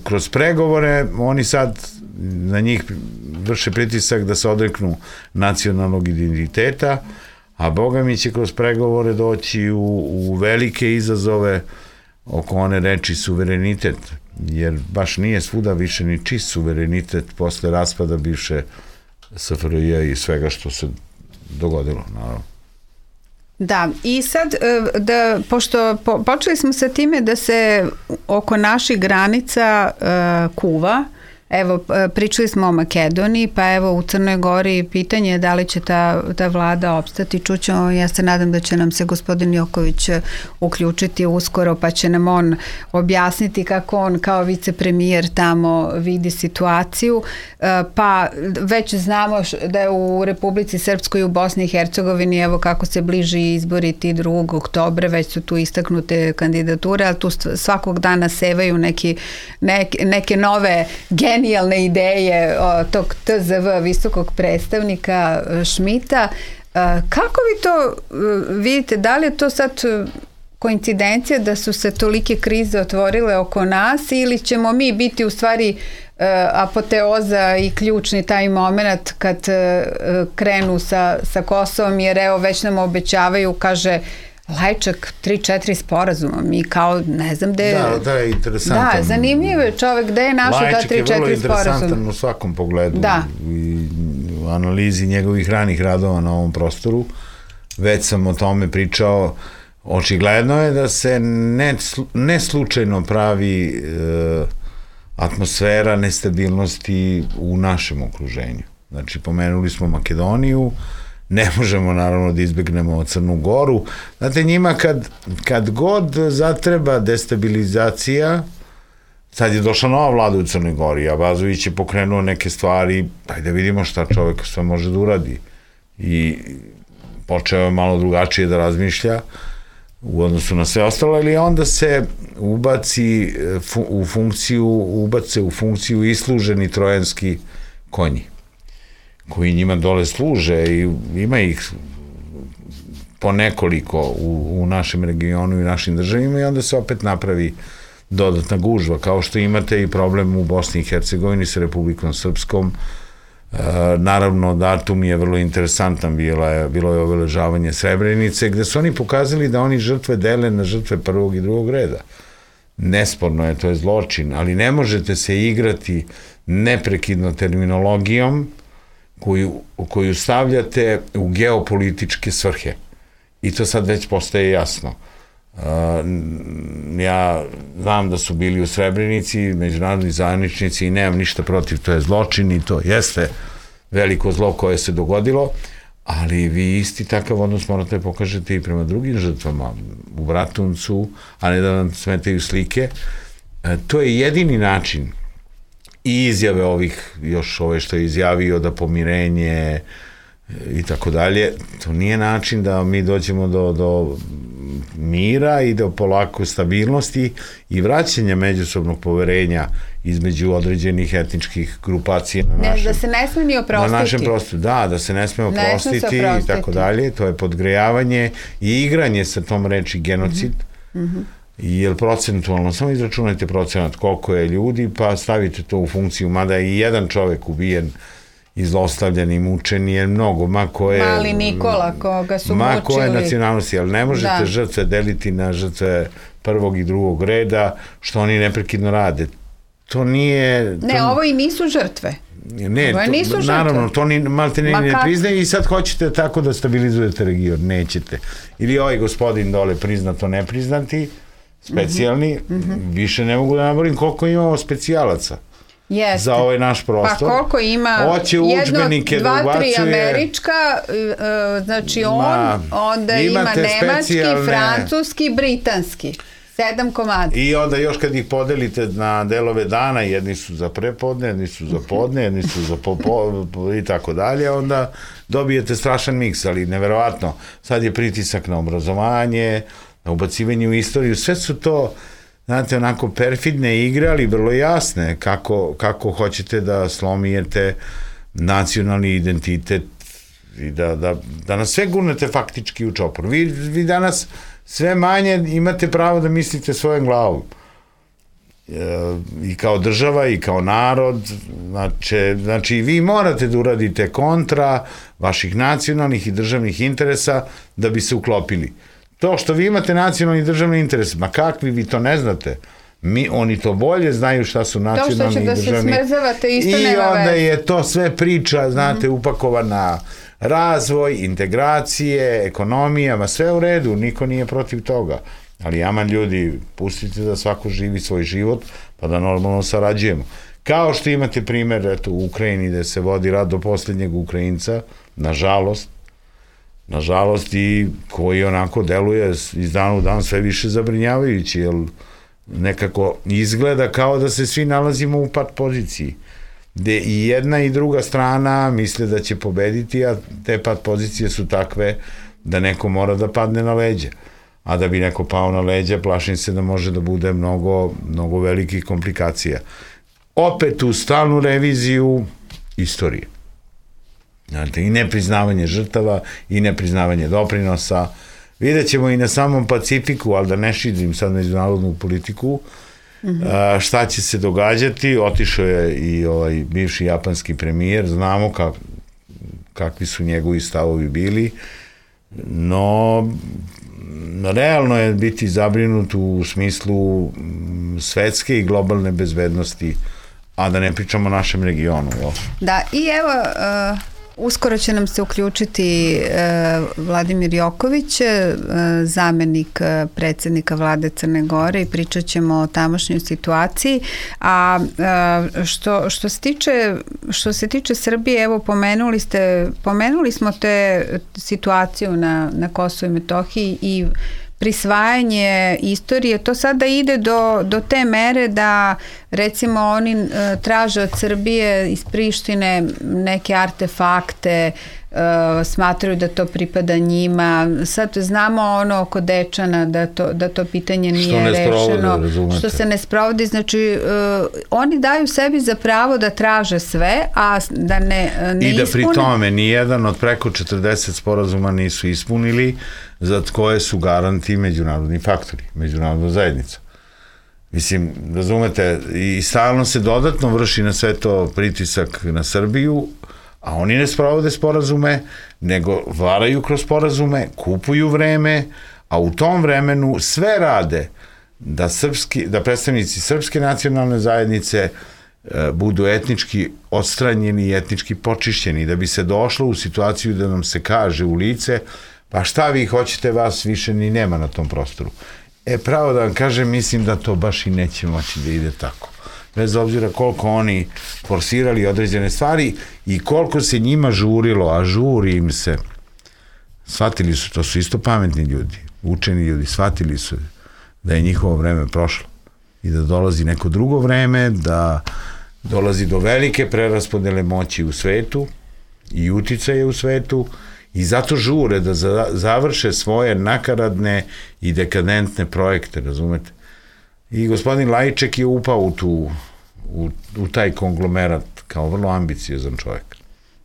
kroz pregovore oni sad na njih vrše pritisak da se odreknu nacionalnog identiteta, a Boga mi će kroz pregovore doći u, u velike izazove oko one reči suverenitet, jer baš nije svuda više ni čist suverenitet posle raspada bivše S F R J i svega što se dogodilo, naravno. Da, i sad, da, pošto po, počeli smo sa time da se oko naših granica uh, kuva, evo, pričali smo o Makedoniji, pa evo u Crnoj Gori pitanje je da li će ta, ta vlada opstati. Čućemo, ja se nadam da će nam se gospodin Joković uključiti uskoro, pa će nam on objasniti kako on kao vicepremijer tamo vidi situaciju. Pa već znamo da je u Republici Srpskoj i u Bosni i Hercegovini, evo kako se bliži izbori ti drugog oktobra, već su tu istaknute kandidature, ali tu svakog dana sevaju neki, neke, neke nove generacije, genijalne ideje tog T Z V visokog predstavnika Šmita. Kako vi to vidite? Da li je to sad koincidencija da su se tolike krize otvorile oko nas ili ćemo mi biti u stvari apoteoza i ključni taj moment kad krenu sa, sa Kosovom, jer evo već nam obećavaju, kaže Lajčak, tri četiri sporazuma, mi kao, ne znam gde... Da, da je interesantan. Da, zanimljivo je čovek gde je našao ta tri četiri sporazuma. Lajčak je vrlo interesantan u svakom pogledu. Da. I u analizi njegovih ranih radova na ovom prostoru, već sam o tome pričao, očigledno je da se ne, ne slučajno pravi e, atmosfera nestabilnosti u našem okruženju. Znači, pomenuli smo Makedoniju, ne možemo naravno da izbegnemo Crnu Goru. Znate, njima kad, kad god zatreba destabilizacija, sad je došla nova vlada u Crnoj Gori, a Abazović je pokrenuo neke stvari, pa da vidimo šta čovek sve može da uradi. I počeo je malo drugačije da razmišlja u odnosu na sve ostalo, ili onda se ubaci u funkciju, ubace u funkciju isluženi trojanski konji, koji njima dole služe i ima ih po nekoliko u, u našem regionu i našim državima i onda se opet napravi dodatna gužva, kao što imate i problem u Bosni i Hercegovini sa Republikom Srpskom. E, naravno, datum je vrlo interesantan, bilo je, bilo je obeležavanje Srebrenice, gde su oni pokazali da oni žrtve dele na žrtve prvog i drugog reda. Nesporno je, to je zločin, ali ne možete se igrati neprekidno terminologijom koju, koju stavljate u geopolitičke svrhe. I to sad već postaje jasno. Uh, ja znam da su bili u Srebrenici međunarodni zajedničnici i nemam ništa protiv, to je zločin i to jeste veliko zlo koje se dogodilo, ali vi isti takav odnos morate pokažete i prema drugim žrtvama, u Bratuncu, a ne da vam smetaju slike. E, to je jedini način i izjave ovih, još ove što je izjavio da pomirenje i tako dalje, to nije način da mi dođemo do, do mira i do polako stabilnosti i vraćanja međusobnog poverenja između određenih etničkih grupacija na našem, ne, da se ne sme ni oprostiti. Na našem prostoru, da, da se ne sme oprostiti, ne i tako dalje, to je podgrejavanje i igranje sa tom reči genocid, mm -hmm. jer procentualno, samo izračunajte procenat koliko je ljudi, pa stavite to u funkciju, mada je i jedan čovek ubijen i zlostavljan i mučen je mnogo, ma ko je... Mali Nikola, koga su ma mučili. Ma ko je nacionalnosti, ali ne možete da. žrtve deliti na žrtve prvog i drugog reda, što oni neprekidno rade. To nije... To... Ne, ovo i nisu žrtve. Ne, ovo to, nisu žrtve. Naravno, to ni, malte ne, ne priznaje i sad hoćete tako da stabilizujete region, nećete. Ili ovaj gospodin dole priznato nepriznati, specijalni, mm -hmm. više ne mogu da naborim koliko imamo specijalaca. Jeste. Za ovaj naš prostor. Pa koliko ima hoće udžbenike jedno, da dva, tri ubacuje, američka, uh, znači on, ma, onda ima nemački, francuski, britanski. Sedam komada. I onda još kad ih podelite na delove dana, jedni su za prepodne, jedni su za podne, jedni su za popo, i tako dalje, onda dobijete strašan miks, ali neverovatno. Sad je pritisak na obrazovanje, na ubacivanje u istoriju, sve su to, znate, onako perfidne igre, ali vrlo jasne, kako, kako hoćete da slomijete nacionalni identitet i da, da, da nas sve gurnete faktički u čopor. Vi, vi danas sve manje imate pravo da mislite svojom glavom. E, I kao država, i kao narod, znači, znači vi morate da uradite kontra vaših nacionalnih i državnih interesa da bi se uklopili. To što vi imate nacionalni i državni interes, ma kakvi vi to ne znate, mi, oni to bolje znaju šta su nacionalni i državni. To što će da se smrzavate isto nema veze. I onda je to sve priča, znate, mm -hmm. upakovana razvoj, integracije, ekonomija, ma sve u redu, niko nije protiv toga. Ali aman ljudi, pustite da svako živi svoj život, pa da normalno sarađujemo. Kao što imate primer, eto, u Ukrajini gde se vodi rat do posljednjeg Ukrajinca, nažalost, nažalost i koji onako deluje iz dana u dan sve više zabrinjavajući, jer nekako izgleda kao da se svi nalazimo u pat poziciji, gde i jedna i druga strana misle da će pobediti, a te pat pozicije su takve da neko mora da padne na leđa. A da bi neko pao na leđa, plašim se da može da bude mnogo, mnogo velikih komplikacija. Opet u stalnu reviziju istorije. Znate, i nepriznavanje žrtava, i nepriznavanje doprinosa. Vidjet ćemo i na samom Pacifiku, ali da ne širim sad međunarodnu politiku, mm-hmm. a, šta će se događati. Otišao je i ovaj bivši japanski premijer, znamo kak, kakvi su njegovi stavovi bili, no realno je biti zabrinut u smislu svetske i globalne bezbednosti, a da ne pričamo o našem regionu. Jo? Da, i evo, uh, uskoro će nam se uključiti uh, Vladimir Joković, uh, zamenik uh, predsjednika vlade Crne Gore, i pričat ćemo o tamošnjoj situaciji. A uh, što, što, se tiče, što se tiče Srbije, evo pomenuli ste, pomenuli smo te situaciju na, na Kosovu i Metohiji i prisvajanje istorije, to sada ide do, do te mere da recimo oni uh, traže od Srbije iz Prištine neke artefakte, uh, smatraju da to pripada njima. Sad znamo ono oko Dečana da to, da to pitanje nije što rešeno, sprovode, što se ne sprovodi, znači uh, oni daju sebi za pravo da traže sve, a da ne, ne i da ispune. Pri tome nijedan od preko četrdeset sporazuma nisu ispunili, za koje su garanti međunarodni faktori, međunarodna zajednica. Mislim, razumete, i stalno se dodatno vrši na sve to pritisak na Srbiju, a oni ne sprovode sporazume, nego varaju kroz sporazume, kupuju vreme, a u tom vremenu sve rade da, srpski, da predstavnici srpske nacionalne zajednice e, budu etnički odstranjeni i etnički počišćeni, da bi se došlo u situaciju da nam se kaže u lice pa šta vi hoćete, vas više ni nema na tom prostoru. E, pravo da vam kažem, mislim da to baš i neće moći da ide tako. Bez obzira koliko oni forsirali određene stvari i koliko se njima žurilo, a žuri im se shvatili su, to su isto pametni ljudi, učeni ljudi, shvatili su da je njihovo vreme prošlo i da dolazi neko drugo vreme, da dolazi do velike preraspodele moći u svetu i uticaje u svetu i zato žure da završe svoje nakaradne i dekadentne projekte, razumete? I gospodin Lajček je upao u, tu, u, u taj konglomerat kao vrlo ambiciozan čovjek.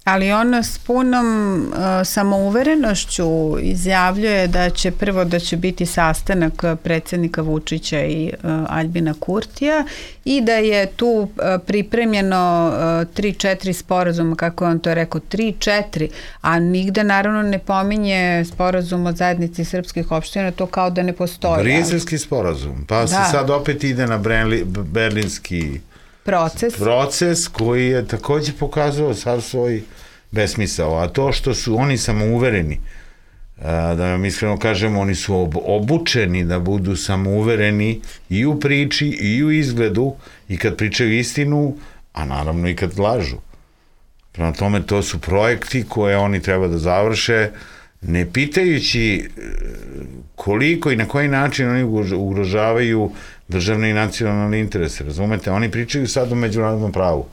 Ali on s punom uh, samouverenošću izjavljuje da će prvo da će biti sastanak predsjednika Vučića i uh, Aljbina Kurtija i da je tu uh, pripremljeno tri četiri uh, sporazuma, kako on to rekao, tri četiri, a nigde naravno ne pominje sporazum od zajednici srpskih opština, to kao da ne postoji. Briselski sporazum, pa da. Se sad opet ide na Brenli, berlinski proces. proces koji je takođe pokazao sav svoj besmisao, a to što su oni samouvereni, da vam iskreno kažemo, oni su obučeni da budu samouvereni i u priči i u izgledu i kad pričaju istinu, a naravno i kad lažu. Prema tome, to su projekti koje oni treba da završe, ne pitajući koliko i na koji način oni ugrožavaju državne i nacionalne interese, razumete? Oni pričaju sad o međunarodnom pravu.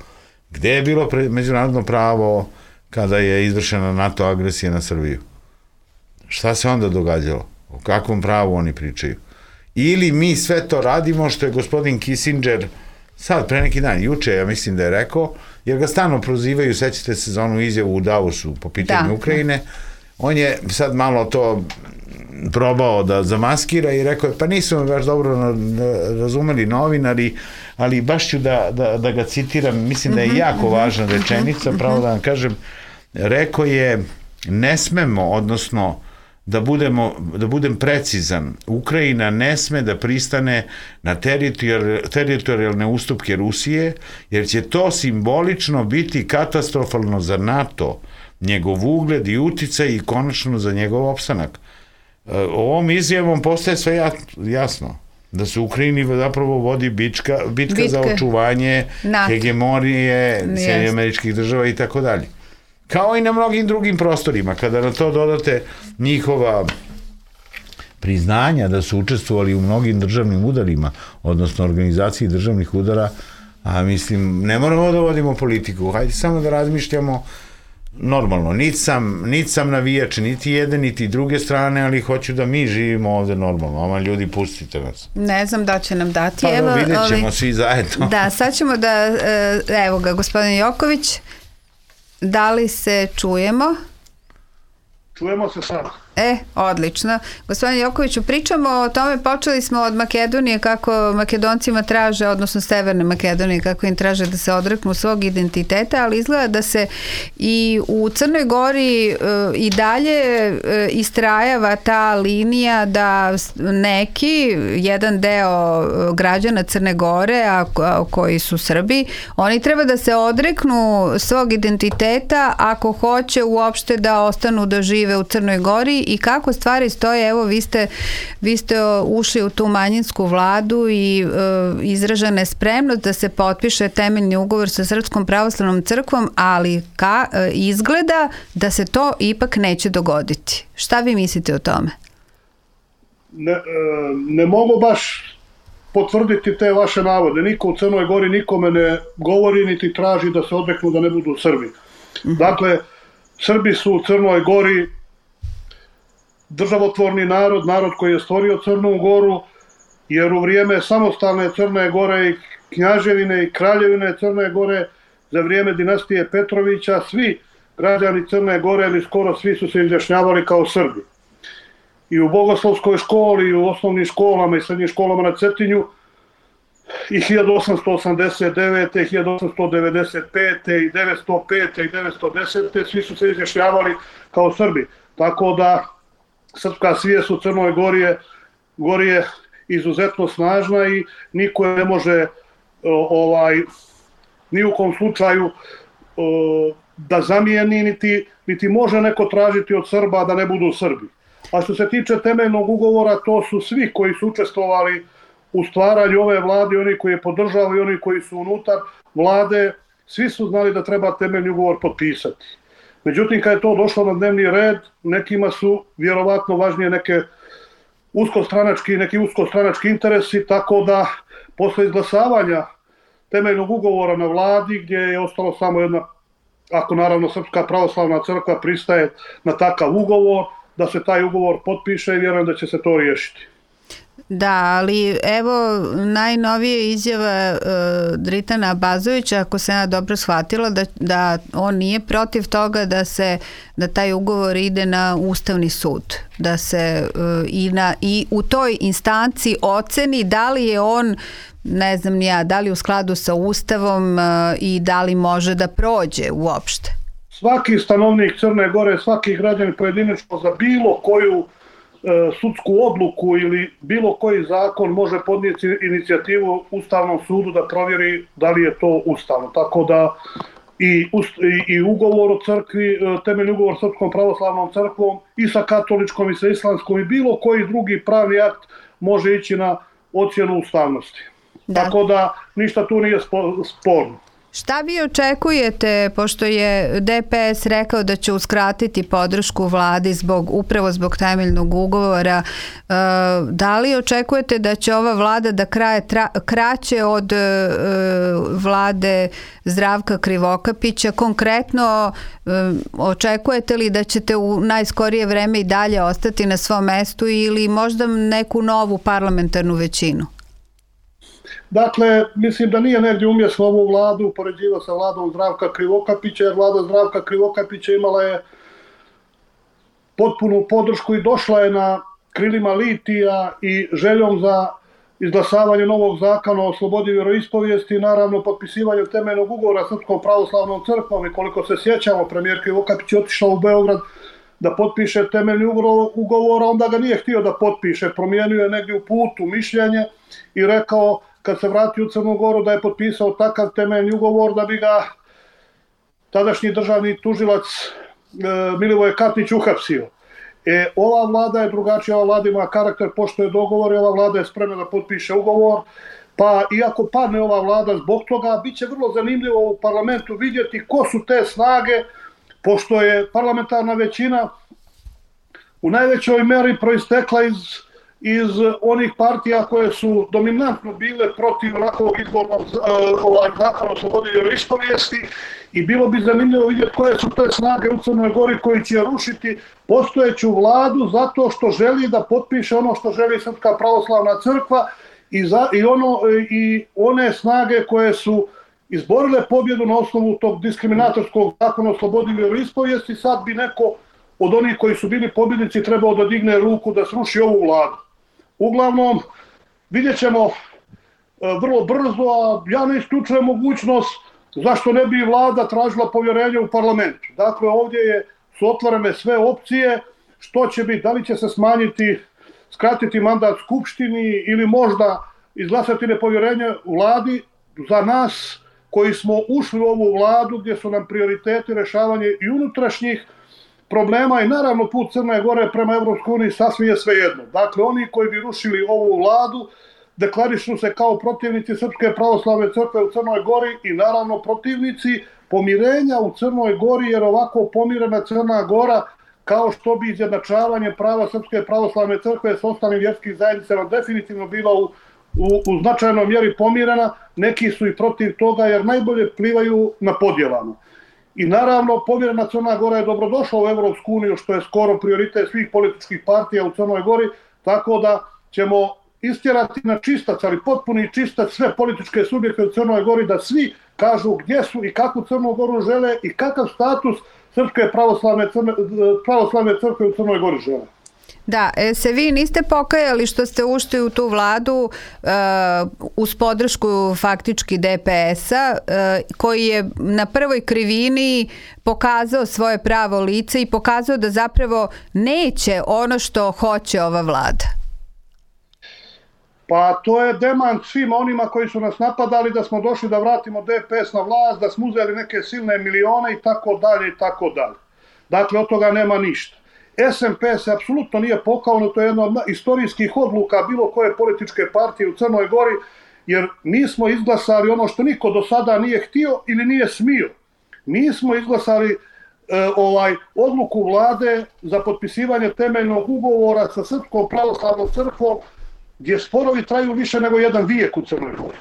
Gde je bilo međunarodno pravo kada je izvršena NATO agresija na Srbiju? Šta se onda događalo? O kakvom pravu oni pričaju? Ili mi sve to radimo što je gospodin Kissinger sad, pre neki dan, juče, ja mislim da je rekao, jer ga stalno prozivaju, sećate se za onu izjavu u Davosu po pitanju da. Ukrajine, on je sad malo to probao da zamaskira i rekao je, pa nisu me baš dobro razumeli novinari, ali baš ću da, da, da ga citiram, mislim da je jako važna rečenica, pravo da vam kažem, rekao je, ne smemo, odnosno, da, budemo, da budem precizan, Ukrajina ne sme da pristane na teritorijalne, teritorijalne ustupke Rusije, jer će to simbolično biti katastrofalno za NATO, njegov ugled i uticaj i konačno za njegov opstanak. Ovom izjavom postaje sve jasno, da se u Ukrajini zapravo vodi bička, bitka Bitke. za očuvanje NATO. Hegemonije Sjedinjenih Američkih Država i tako dalje. Kao i na mnogim drugim prostorima, kada na to dodate njihova priznanja da su učestvovali u mnogim državnim udarima, odnosno organizaciji državnih udara, a mislim, ne moramo da vodimo politiku, hajde samo da razmišljamo normalno, niti sam, niti sam navijač, niti jedne, niti druge strane, ali hoću da mi živimo ovde normalno. Oma ljudi, pustite nas. Ne znam da će nam dati. Pa evo, da vidjet ćemo ovi... svi zajedno. Da, sad ćemo da, evo ga, gospodin Joković, da li se čujemo? Čujemo se sad. E, odlično. Gospodin Jokoviću, pričamo o tome, počeli smo od Makedonije, kako Makedoncima traže, odnosno Severne Makedonije, kako im traže da se odreknu svog identiteta, ali izgleda da se i u Crnoj Gori e, i dalje e, istrajava ta linija da neki, jedan deo građana Crne Gore, a, a koji su Srbi, oni treba da se odreknu svog identiteta ako hoće uopšte da ostanu da žive u Crnoj Gori. I kako stvari stoje, evo vi ste, vi ste ušli u tu manjinsku vladu i e, izražena je spremnost da se potpiše temeljni ugovor sa Srpskom pravoslavnom crkvom, ali ka, e, izgleda da se to ipak neće dogoditi. Šta vi mislite o tome? Ne, e, ne mogu baš potvrditi te vaše navode. Niko u Crnoj Gori nikome ne govori niti traži da se odreknu da ne budu Srbi. Mm-hmm. Dakle, Srbi su u Crnoj Gori državotvorni narod, narod koji je stvorio Crnu Goru, jer u vrijeme samostalne Crne Gore i knjaževine i kraljevine Crne Gore, za vrijeme dinastije Petrovića, svi građani Crne Gore ili skoro svi su se izjašnjavali kao Srbi. I u bogoslovskoj školi, i u osnovnim školama i srednjim školama na Cetinju, i hiljadu osamsto osamdeset devete, hiljadu osamsto devedeset pete i devetsto pete i devetsto desete svi su se izjašnjavali kao Srbi. Tako da srpska svijest u Crnoj Gori je, Gori je izuzetno snažna i niko ne može ovaj, ni u kom slučaju da zamijeni, niti, niti može neko tražiti od Srba da ne budu Srbi. A što se tiče temeljnog ugovora, to su svi koji su učestvovali u stvaranju ove vlade, oni koji je podržavaju i oni koji su unutar vlade, svi su znali da treba temeljni ugovor potpisati. Međutim, kad je to došlo na dnevni red, nekima su vjerovatno važnije neke uskostranački, neki uskostranački interesi, tako da posle izglasavanja temeljnog ugovora na vladi, gdje je ostalo samo jedna, ako naravno Srpska pravoslavna crkva pristaje na takav ugovor, da se taj ugovor potpiše i vjerujem da će se to riješiti. Da, ali evo najnovije izjava uh, Dritana Abazovića, ako se ja dobro shvatila, da, da on nije protiv toga da se da taj ugovor ide na Ustavni sud, da se uh, i, na, i u toj instanci oceni da li je on, ne znam ni ja, da li u skladu sa Ustavom uh, i da li može da prođe uopšte. Svaki stanovnik Crne Gore, svaki građanin pojedinačno za bilo koju sudsku odluku ili bilo koji zakon može podnijeti inicijativu Ustavnom sudu da provjeri da li je to ustavno. Tako da i, i, i ugovor o crkvi, temeljni ugovor sa Srpskom pravoslavnom crkvom i sa katoličkom i sa islamskom i bilo koji drugi pravni akt može ići na ocjenu ustavnosti. Da. Tako da ništa tu nije sporno. Šta vi očekujete, pošto je D P S rekao da će uskratiti podršku vladi zbog, upravo zbog temeljnog ugovora, da li očekujete da će ova vlada da kraje tra, kraće od vlade Zdravka Krivokapića? Konkretno, očekujete li da ćete u najskorije vreme i dalje ostati na svom mestu ili možda neku novu parlamentarnu većinu? Dakle, mislim da nije negdje umjesno ovu vladu upoređivao sa vladom Zdravka Krivokapića, jer vlada Zdravka Krivokapića imala je potpunu podršku i došla je na krilima litija i željom za izglasavanje novog zakona o slobodi vjeroispovijesti i naravno potpisivanju temeljnog ugovora Srpskom pravoslavnom crkvom. I koliko se sjećamo, premijer Krivokapić je otišao u Beograd da potpiše temeljni ugovor, onda ga nije htio da potpiše. Promijenio je negdje u putu mišljenje i rekao kad se vratio u Crnu Goru da je potpisao takav temeljni ugovor da bi ga tadašnji državni tužilac e, Milivoje Katnić uhapsio. E, ova vlada je drugačija, ova vlada ima karakter, poštuje dogovor i ova vlada je spremna da potpiše ugovor. Pa iako padne ova vlada zbog toga, bit će vrlo zanimljivo u parlamentu vidjeti ko su te snage, pošto je parlamentarna većina u najvećoj meri proistekla iz iz onih partija koje su dominantno bile protiv ovakvog izbornog zakona o slobodi vjeroispovijesti i bilo bi zanimljivo vidjeti koje su te snage u Crnoj Gori koji će rušiti postojeću vladu zato što želi da potpiše ono što želi Srpska pravoslavna crkva i, za, i, ono, i one snage koje su izborile pobjedu na osnovu tog diskriminatorskog zakona o slobodi vjeroispovijesti. Sad bi neko od onih koji su bili pobjednici trebao da digne ruku da sruši ovu vladu. Uglavnom, vidjet ćemo vrlo brzo, a ja ne isključujem mogućnost zašto ne bi vlada tražila povjerenje u parlamentu. Dakle, ovdje je, su otvorene sve opcije, što će biti, da li će se smanjiti, skratiti mandat Skupštini ili možda izglasati nepovjerenje vladi. Za nas koji smo ušli u ovu vladu gdje su nam prioriteti rješavanje i unutrašnjih problema i naravno put Crne Gore prema Evropskoj uniji sasvim je svejedno. Dakle, oni koji bi rušili ovu vladu deklarišu se kao protivnici Srpske pravoslavne crkve u Crnoj Gori i naravno protivnici pomirenja u Crnoj Gori, jer ovako pomirena Crna Gora, kao što bi izjednačavanje prava Srpske pravoslavne crkve s ostalim vjerskim zajednicama definitivno bila u, u, u značajnoj mjeri pomirena, neki su i protiv toga jer najbolje plivaju na podjelama. I naravno, pomirena Crna Gora je dobrodošla u Evropsku uniju, što je skoro prioritet svih političkih partija u Crnoj Gori, tako da ćemo istjerati na čistac, ali potpuni čistac sve političke subjekte u Crnoj Gori, da svi kažu gdje su i kakvu Crnu Goru žele i kakav status Srpske pravoslavne, crne, pravoslavne crkve u Crnoj Gori žele. Da, e, se vi niste pokajali što ste ušli u tu vladu uh, uz podršku faktički D P S-a uh, koji je na prvoj krivini pokazao svoje pravo lice i pokazao da zapravo neće ono što hoće ova vlada. Pa to je demant svima onima koji su nas napadali da smo došli da vratimo D P S na vlast, da smo uzeli neke silne milione i tako dalje i tako dalje. Dakle, od toga nema ništa. S M P se apsolutno nije pokao, to je jedna od istorijskih odluka bilo koje političke partije u Crnoj Gori, jer mi smo izglasali ono što niko do sada nije htio ili nije smio. Mi smo izglasali ovaj odluku vlade za potpisivanje temeljnog ugovora sa Srpskom pravoslavnom crkvom, gdje sporovi traju više nego jedan vijek u Crnoj Gori.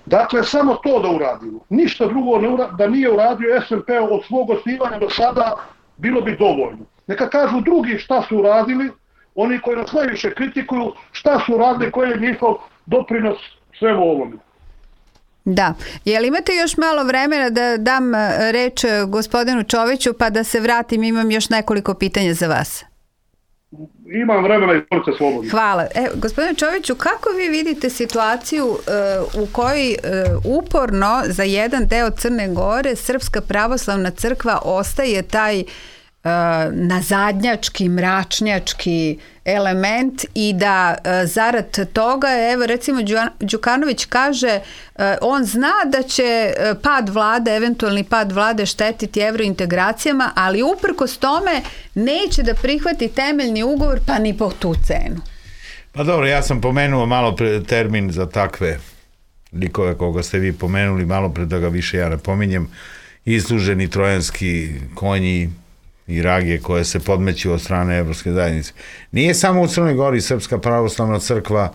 Dakle, samo to da uradimo. Ništa drugo ne ura, da nije uradio S N P od svog osnivanja do sada, bilo bi dovoljno. Neka kažu drugi šta su uradili, oni koji nas najviše kritikuju, šta su uradili, koji je njihov doprinos svemu ovome. Da. Jel imate još malo vremena da dam reč gospodinu Čoviću pa da se vratim, imam još nekoliko pitanja za vas. Imam vremena i izvolite slobodno. Hvala. E, gospodine Čoviću, kako vi vidite situaciju uh, u kojoj uh, uporno za jedan deo Crne Gore Srpska pravoslavna crkva ostaje taj uh, nazadnjački, mračnjački element i da uh, zarad toga, evo recimo Đukanović kaže, uh, on zna da će uh, pad vlade, eventualni pad vlade štetiti evrointegracijama, ali uprkos tome neće da prihvati temeljni ugovor pa ni po tu cenu. Pa dobro, ja sam pomenuo malo pre termin za takve likove koga ste vi pomenuli, malo pre da ga više ja ne pominjem, isluženi trojanski konji i rage koje se podmeću od strane Evropske zajednice. Nije samo u Crnoj Gori Srpska pravoslavna crkva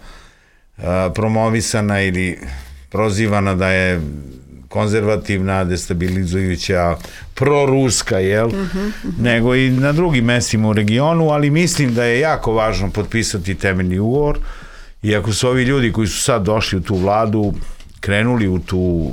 a, promovisana ili prozivana da je konzervativna, destabilizujuća, proruska, jel? Uh-huh, uh-huh. Nego i na drugim mestima u regionu, ali mislim da je jako važno potpisati temeljni ugovor i ako su ovi ljudi koji su sad došli u tu vladu krenuli u tu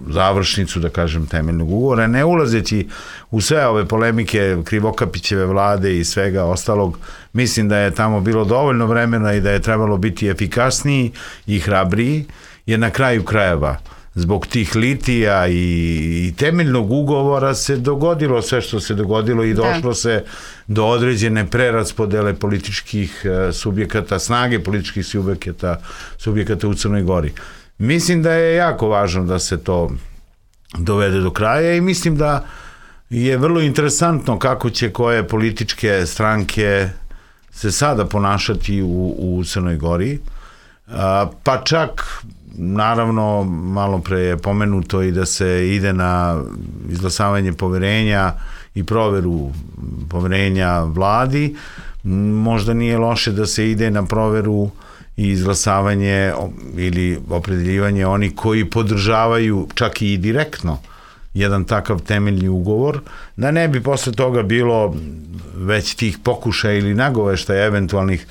završnicu, da kažem, temeljnog ugovora, ne ulazeći u sve ove polemike Krivokapićeve vlade i svega ostalog, mislim da je tamo bilo dovoljno vremena i da je trebalo biti efikasniji i hrabriji, jer na kraju krajeva zbog tih litija i, i temeljnog ugovora se dogodilo sve što se dogodilo i došlo da. se do određene preraspodele političkih uh, subjekata, snage političkih subjekata, subjekata u Crnoj Gori. Mislim da je jako važno da se to dovede do kraja i mislim da je vrlo interesantno kako će koje političke stranke se sada ponašati u, u Crnoj Gori, a, pa čak naravno malo pre je pomenuto i da se ide na izglasavanje poverenja i proveru poverenja vladi, možda nije loše da se ide na proveru i izglasavanje ili opredeljivanje onih koji podržavaju čak i direktno jedan takav temeljni ugovor, da ne bi posle toga bilo već tih pokušaja ili nagoveštaja eventualnih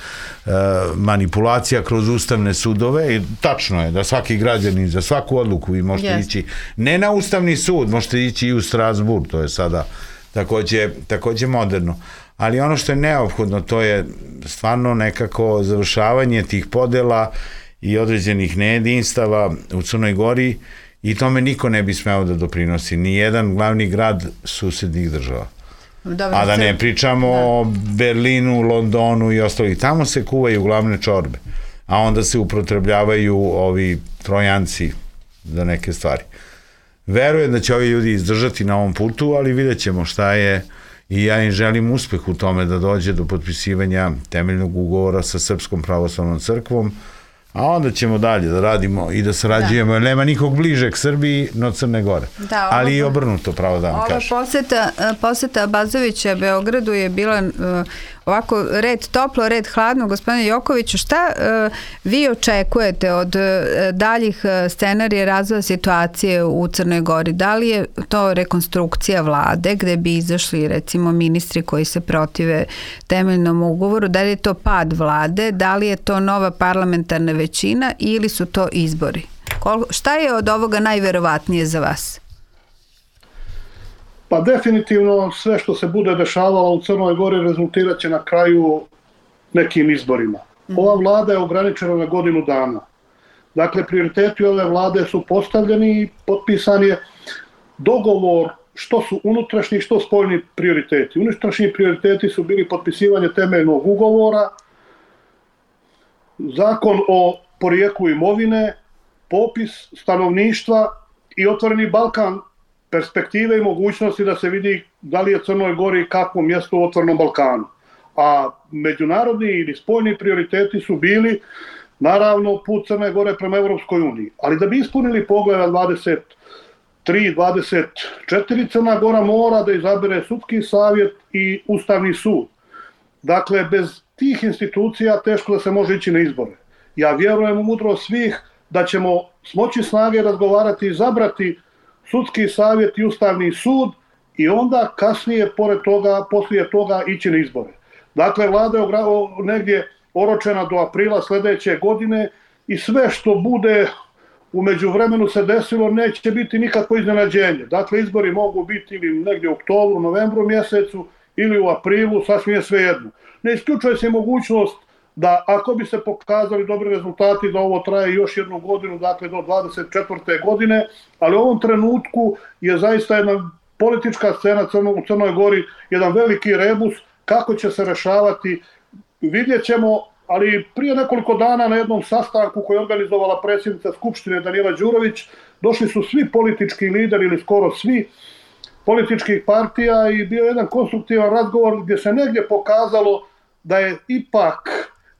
e, manipulacija kroz ustavne sudove. I tačno je da svaki građanin za svaku odluku vi možete yes. ići ne na ustavni sud, možete ići i u Strasburg, to je sada takođe, takođe moderno. Ali ono što je neophodno, to je stvarno nekako završavanje tih podela i određenih nejedinstava u Crnoj Gori i tome niko ne bi smeo da doprinosi. Ni jedan glavni grad susednih država. Dobre, a da ne pričamo da. o Berlinu, Londonu i ostalih. Tamo se kuvaju glavne čorbe, a onda se upotrebljavaju ovi trojanci za neke stvari. Verujem da će ovi ljudi izdržati na ovom putu, ali vidjet ćemo šta je i ja im želim uspeh u tome da dođe do potpisivanja temeljnog ugovora sa Srpskom pravoslavnom crkvom, a onda ćemo dalje da radimo i da sarađujemo, da. jer nema nikog bližeg Srbiji no Crne Gore. Da, ovo, ali i obrnuto, pravo da vam kažem. Ova poseta, poseta Abazovića Beogradu je bila uh, ovako red toplo, red hladno. Gospodine Jokoviću, šta uh, vi očekujete od uh, daljih uh, scenarija razvoja situacije u Crnoj Gori? Da li je to rekonstrukcija vlade gde bi izašli recimo ministri koji se protive temeljnom ugovoru? Da li je to pad vlade? Da li je to nova parlamentarna većina ili su to izbori? Kol, šta je od ovoga najverovatnije za vas? Pa definitivno sve što se bude dešavalo u Crnoj Gori rezultirat će na kraju nekim izborima. Ova vlada je ograničena na godinu dana. Dakle, prioriteti ove vlade su postavljeni i potpisan je dogovor što su unutrašnji, što spoljni prioriteti. Unutrašnji prioriteti su bili potpisivanje temeljnog ugovora, zakon o porijeklu imovine, popis stanovništva i Otvoreni Balkan, perspektive i mogućnosti da se vidi da li je Crnoj Gori kakvo mjesto u Otvorenom Balkanu. A međunarodni ili spoljni prioriteti su bili naravno put Crne Gore prema Evropskoj uniji. Ali da bi ispunili Poglavlje dvadeset tri dvadeset četiri Crna Gora mora da izabere sudski savjet i Ustavni sud. Dakle, bez tih institucija teško da se može ići na izbore. Ja vjerujem u mudrost svih da ćemo smoći snage razgovarati i izabrati sudski savjet i Ustavni sud i onda kasnije, pored toga, poslije toga ići na izbore. Dakle, vlada je negdje oročena do aprila sljedeće godine i sve što bude u međuvremenu se desilo neće biti nikakvo iznenađenje. Dakle, izbori mogu biti ili negdje u oktobru, novembru mjesecu ili u aprilu, sasvim je svejedno. Ne isključuje se mogućnost da ako bi se pokazali dobri rezultati da ovo traje još jednu godinu, dakle do dvadeset četvrte godine, ali u ovom trenutku je zaista jedna politička scena u Crnoj Gori, jedan veliki rebus, kako će se rešavati, vidjet ćemo, ali prije nekoliko dana na jednom sastanku koji je organizovala predsjednica Skupštine Danijela Đurović, došli su svi politički lideri ili skoro svi političkih partija i bio je jedan konstruktivan razgovor gdje se negdje pokazalo da je ipak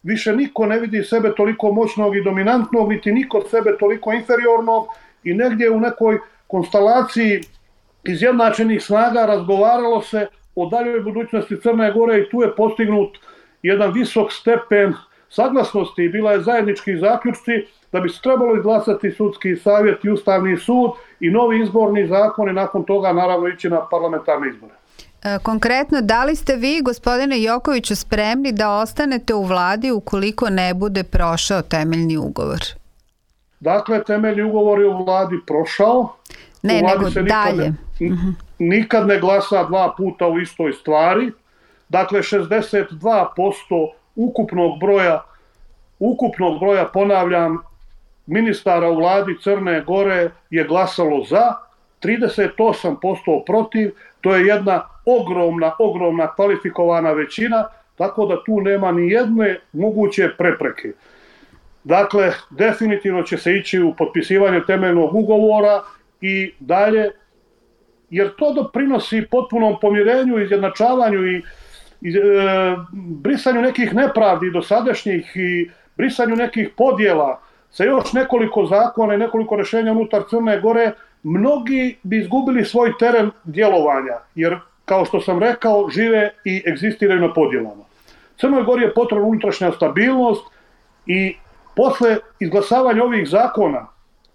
više niko ne vidi sebe toliko moćnog i dominantnog, niti niko sebe toliko inferiornog i negdje u nekoj konstelaciji izjednačenih snaga razgovaralo se o daljoj budućnosti Crne Gore i tu je postignut jedan visok stepen saglasnosti i bila je zajednički zaključci da bi se trebalo izglasati sudski savjet i Ustavni sud i novi izborni zakon i nakon toga naravno ići na parlamentarne izbore. Konkretno, da li ste vi, gospodine Jokoviću, spremni da ostanete u vladi ukoliko ne bude prošao temeljni ugovor? Dakle, temeljni ugovor je u vladi prošao. Ne, nego dalje. Ne, nikad ne glasa dva puta u istoj stvari. Dakle, šezdeset dva posto ukupnog broja, ukupnog broja, ponavljam, ministara u vladi Crne Gore je glasalo za, trideset osam posto protiv, to je jedna ogromna, ogromna kvalifikovana većina, tako da tu nema ni jedne moguće prepreke. Dakle, definitivno će se ići u potpisivanje temeljnog ugovora i dalje, jer to doprinosi potpunom pomirenju, izjednačavanju i, i e, brisanju nekih nepravdi dosadašnjih i brisanju nekih podjela sa još nekoliko zakona i nekoliko rješenja unutar Crne Gore. Mnogi bi izgubili svoj teren djelovanja, jer, kao što sam rekao, žive i egzistiraju na podjelama. Crnoj Gori je potrebna unutrašnja stabilnost i posle izglasavanja ovih zakona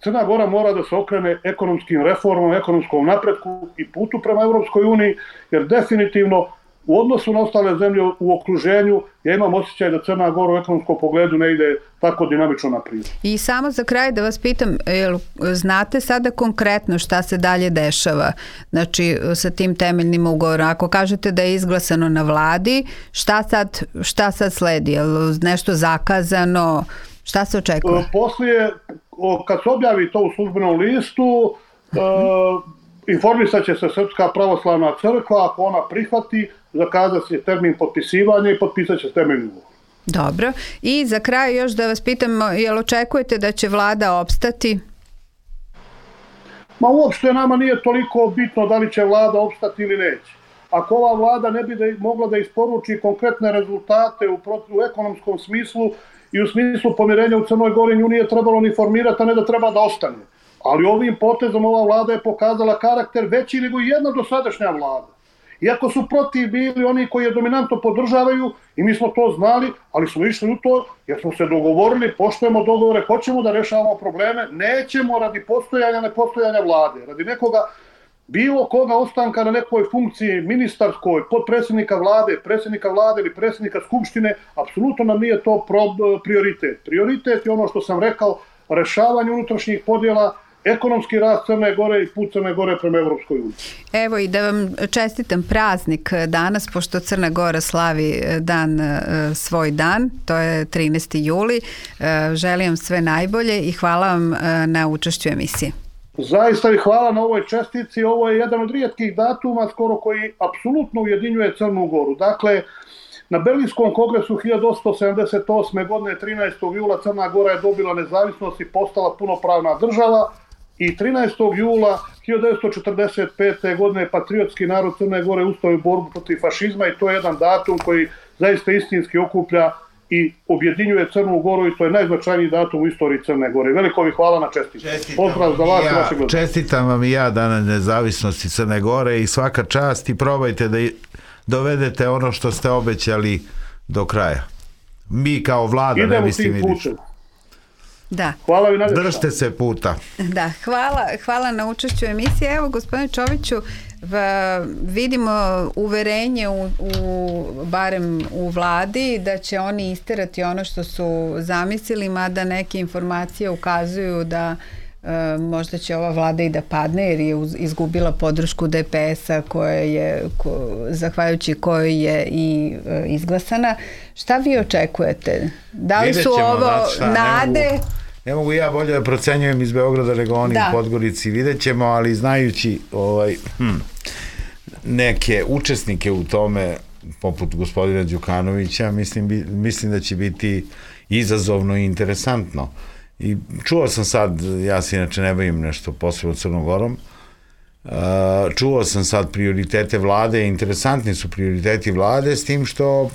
Crna Gora mora da se okrene ekonomskim reformama, ekonomskom napretku i putu prema Europskoj uniji, jer definitivno u odnosu na ostale zemlje u okruženju ja imam osjećaj da Crna Gora u ekonomskom pogledu ne ide tako dinamično naprijed. I samo za kraj da vas pitam, jel znate sada konkretno šta se dalje dešava, znači sa tim temeljnim ugovorom? Ako kažete da je izglasano na vladi, šta sad, šta sad sledi? Je li nešto zakazano? Šta se očekuje? Poslije, kad se objavi to u službenom listu, uh-huh. informisat će se Srpska pravoslavna crkva, ako ona prihvati, zakazat će termin potpisivanja i potpisat će temeljni ugovor. Dobro. I za kraj još da vas pitam, jel očekujete da će vlada opstati? Ma uopšte nama nije toliko bitno da li će vlada opstati ili neće. Ako ova vlada ne bi da, mogla da isporuči konkretne rezultate u, u ekonomskom smislu i u smislu pomirenja u Crnoj Gori, nju nije trebalo ni formirati, a ne da treba da ostane. Ali ovim potezom ova vlada je pokazala karakter veći nego jedna dosadašnja vlada. Iako su protiv bili oni koji je dominantno podržavaju i mi smo to znali, ali smo išli u to jer smo se dogovorili, poštujemo dogovore, hoćemo da rešavamo probleme, nećemo radi postojanja, nepostojanja vlade, radi nekoga, bilo koga ostanka na nekoj funkciji ministarskoj, podpredsjednika vlade, predsjednika vlade ili predsjednika skupštine, apsolutno nam nije to prioritet. Prioritet je ono što sam rekao, rešavanje unutrašnjih podjela, ekonomski rast Crne Gore i put Crne Gore prema Evropskoj uniji. Evo i da vam čestitam praznik danas, pošto Crna Gora slavi dan, svoj dan, to je trinaesti juli. Želim vam sve najbolje i hvala vam na učešću emisije. Zaista i hvala na ovoj čestici. Ovo je jedan od rijetkih datuma skoro koji apsolutno ujedinjuje Crnu Goru. Dakle, na Berlinskom kongresu hiljadu osamsto sedamdeset osme. godine trinaestog jula Crna Gora je dobila nezavisnost i postala punopravna država i trinaestog jula hiljadu devetsto četrdeset pete. godine patriotski narod Crne Gore ustao u borbu protiv fašizma i to je jedan datum koji zaista istinski okuplja i objedinjuje Crnu Goru i to je najznačajniji datum u istoriji Crne Gore. Veliko vi hvala na čestitku. Pozdrav za vas i vaše gledanje. Čestitam vam i ja Dan nezavisnosti Crne Gore i svaka čast i probajte da dovedete ono što ste obećali do kraja. Mi kao vlada ne mislim vidjeti. Da. Hvala vi najljepša. Držite se puta. Da, hvala, hvala na učešću u emisiji. Evo, gospodine Čoviću, vidimo uverenje u, u, barem u vladi da će oni isterati ono što su zamislili, mada neke informacije ukazuju da e, možda će ova vlada i da padne jer je izgubila podršku D P S-a koja je, ko, zahvaljujući kojoj je i e, izglasana. Šta vi očekujete? Da li su ovo nade? Ne mogu ja bolje da procenjujem iz Beograda nego oni u Podgorici, vidjet ćemo, ali znajući ovaj, hm, neke učesnike u tome, poput gospodina Đukanovića, mislim, mislim da će biti izazovno i interesantno. I čuo sam sad, ja se inače ne bavim nešto posebno Crnogorom, čuo sam sad prioritete vlade, interesantni su prioriteti vlade, s tim što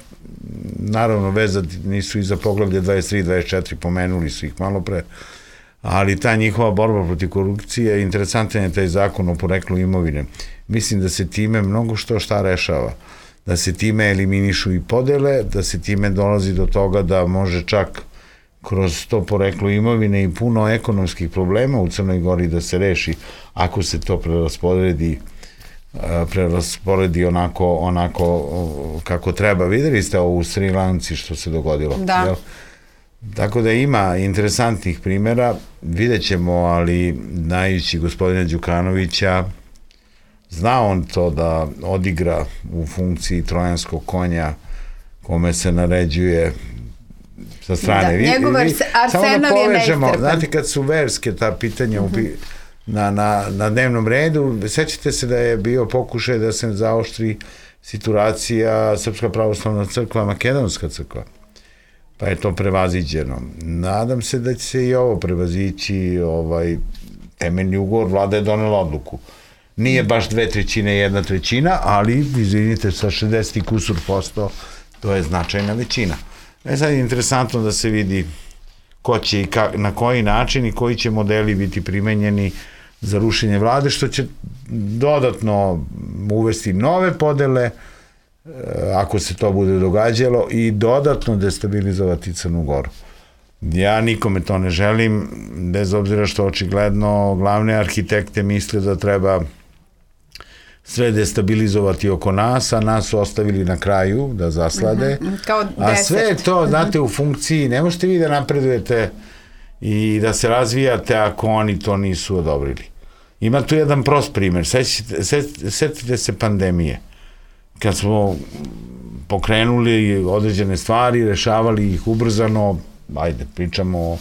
naravno vezati nisu i za poglavlje dvadeset tri dvadeset četiri, pomenuli su ih malo pre, ali ta njihova borba protiv korupcije, interesantan je taj zakon o poreklu imovine. Mislim da se time mnogo što šta rešava, da se time eliminišu i podele, da se time dolazi do toga da može čak kroz to poreklo imovine i puno ekonomskih problema u Crnoj Gori da se reši ako se to preraspodredi prerasporedi onako, onako kako treba. Videli ste ovo u Sri Lanci što se dogodilo. Da. Jel? Tako da ima interesantnih primjera, vidjet ćemo, ali znajući gospodina Đukanovića, zna on to da odigra u funkciji trojanskog konja kome se naređuje sa strane. Da, njegov Arsenov je neiscrpan. Znate, kad su verske ta pitanja uh -huh. na, na, na dnevnom redu, sećate se da je bio pokušaj da se zaoštri situacija Srpska pravoslavna crkva, Makedonska crkva. Pa je to prevaziđeno. Nadam se da će se i ovo prevazići, ovaj, temeljni ugovor, vlada je donela odluku. Nije baš dve trećine, jedna trećina, ali, izvinite, sa šezdeset i kusur posto, to je značajna većina. E sad je interesantno da se vidi ko će i ka, na koji način i koji će modeli biti primenjeni za rušenje vlade, što će dodatno uvesti nove podele, ako se to bude događalo, i dodatno destabilizovati Crnu Goru. Ja nikome to ne želim, bez obzira što očigledno glavne arhitekte misle da treba sve destabilizovati oko nas, a nas su ostavili na kraju da zaslade. Mm-hmm. Kao a sve je to, znate, u funkciji, ne možete vi da napredujete i da se razvijate ako oni to nisu odobrili. Ima tu jedan prost primjer, setite, setite se pandemije. Kad smo pokrenuli određene stvari, rešavali ih ubrzano, ajde, pričamo o,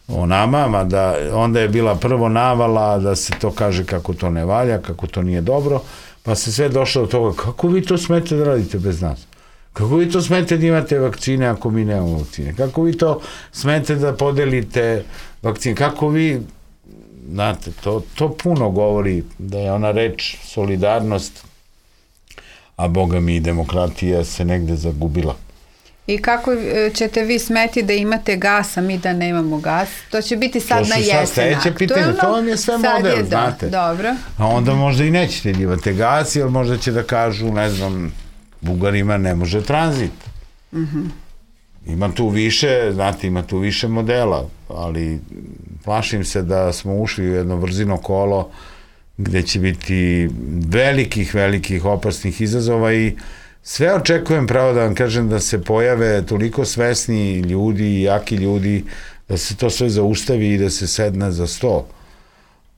o nama, mada onda je bila prvo navala da se to kaže kako to ne valja, kako to nije dobro, pa se sve došlo do toga, kako vi to smete da radite bez nas? Kako vi to smete da imate vakcine ako mi nemamo vakcine? Kako vi to smete da podelite vakcine? Kako vi, znate, to, to puno govori da je ona reč solidarnost, a boga mi i demokratija se negde zagubila. I kako ćete vi smeti da imate gas, a mi da nemamo gas? To će biti sad na jesen. To su sad sledeće pitanje, to, to vam je sve model, je, znate. Da, dobro. A onda možda i nećete da imate gas, jer možda će da kažu, ne znam, Bugarima ne može tranzit. Uh-huh. Ima tu više, znate, ima tu više modela, ali plašim se da smo ušli u jedno vrzino kolo gde će biti velikih, velikih opasnih izazova i sve očekujem, pravo da vam kažem, da se pojave toliko svesni ljudi i jaki ljudi, da se to sve zaustavi i da se sedne za sto.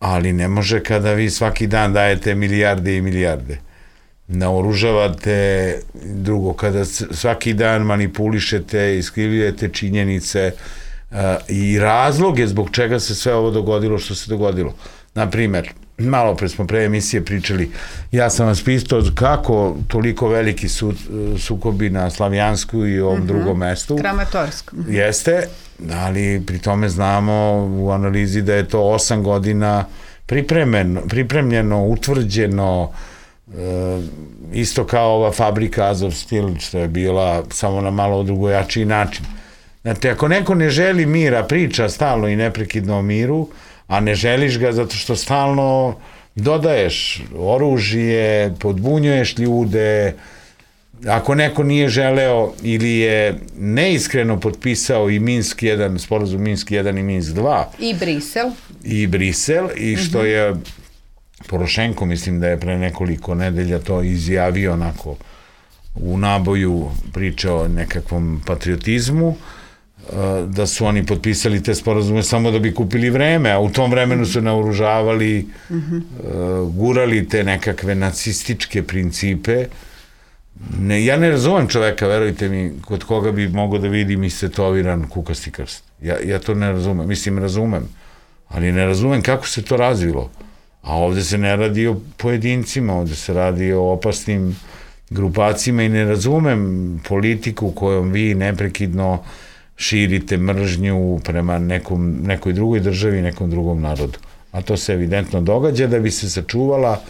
Ali ne može kada vi svaki dan dajete milijarde i milijarde. Naoružavate, drugo, kada svaki dan manipulišete, iskrivljujete činjenice uh, i razloge zbog čega se sve ovo dogodilo što se dogodilo. Naprimer, malo pre smo pre emisije pričali, ja sam vas pitao kako toliko veliki su, sukobi na Slavijansku i ovom mm-hmm. drugom mestu. Kramatorskom. Jeste, ali pri tome znamo u analizi da je to osam godina pripremljeno, pripremljeno utvrđeno, e, isto kao ova fabrika Azov Stil, što je bila samo na malo drugojačiji način. Znate, ako neko ne želi mira, priča stalno i neprekidno o miru, a ne želiš ga zato što stalno dodaješ oružje, podbunjuješ ljude, ako neko nije želeo ili je neiskreno potpisao i Minsk jedan, sporazum Minsk jedan i Minsk dva. I Brisel. I Brisel, i što mm-hmm. je Porošenko, mislim da je pre nekoliko nedelja to izjavio onako u naboju, pričao o nekakvom patriotizmu, da su oni potpisali te sporazume samo da bi kupili vreme, a u tom vremenu su naoružavali, mm-hmm. gurali te nekakve nacističke principe. Ne, ja ne razumem čoveka, verujte mi, kod koga bi mogao da vidim istetoviran kukasti krst. Ja, ja to ne razumem, mislim razumem, ali ne razumem kako se to razvilo. A ovde se ne radi o pojedincima, ovde se radi o opasnim grupacima i ne razumem politiku kojom vi neprekidno širite mržnju prema nekom, nekoj drugoj državi, nekom drugom narodu. A to se evidentno događa da bi se sačuvala,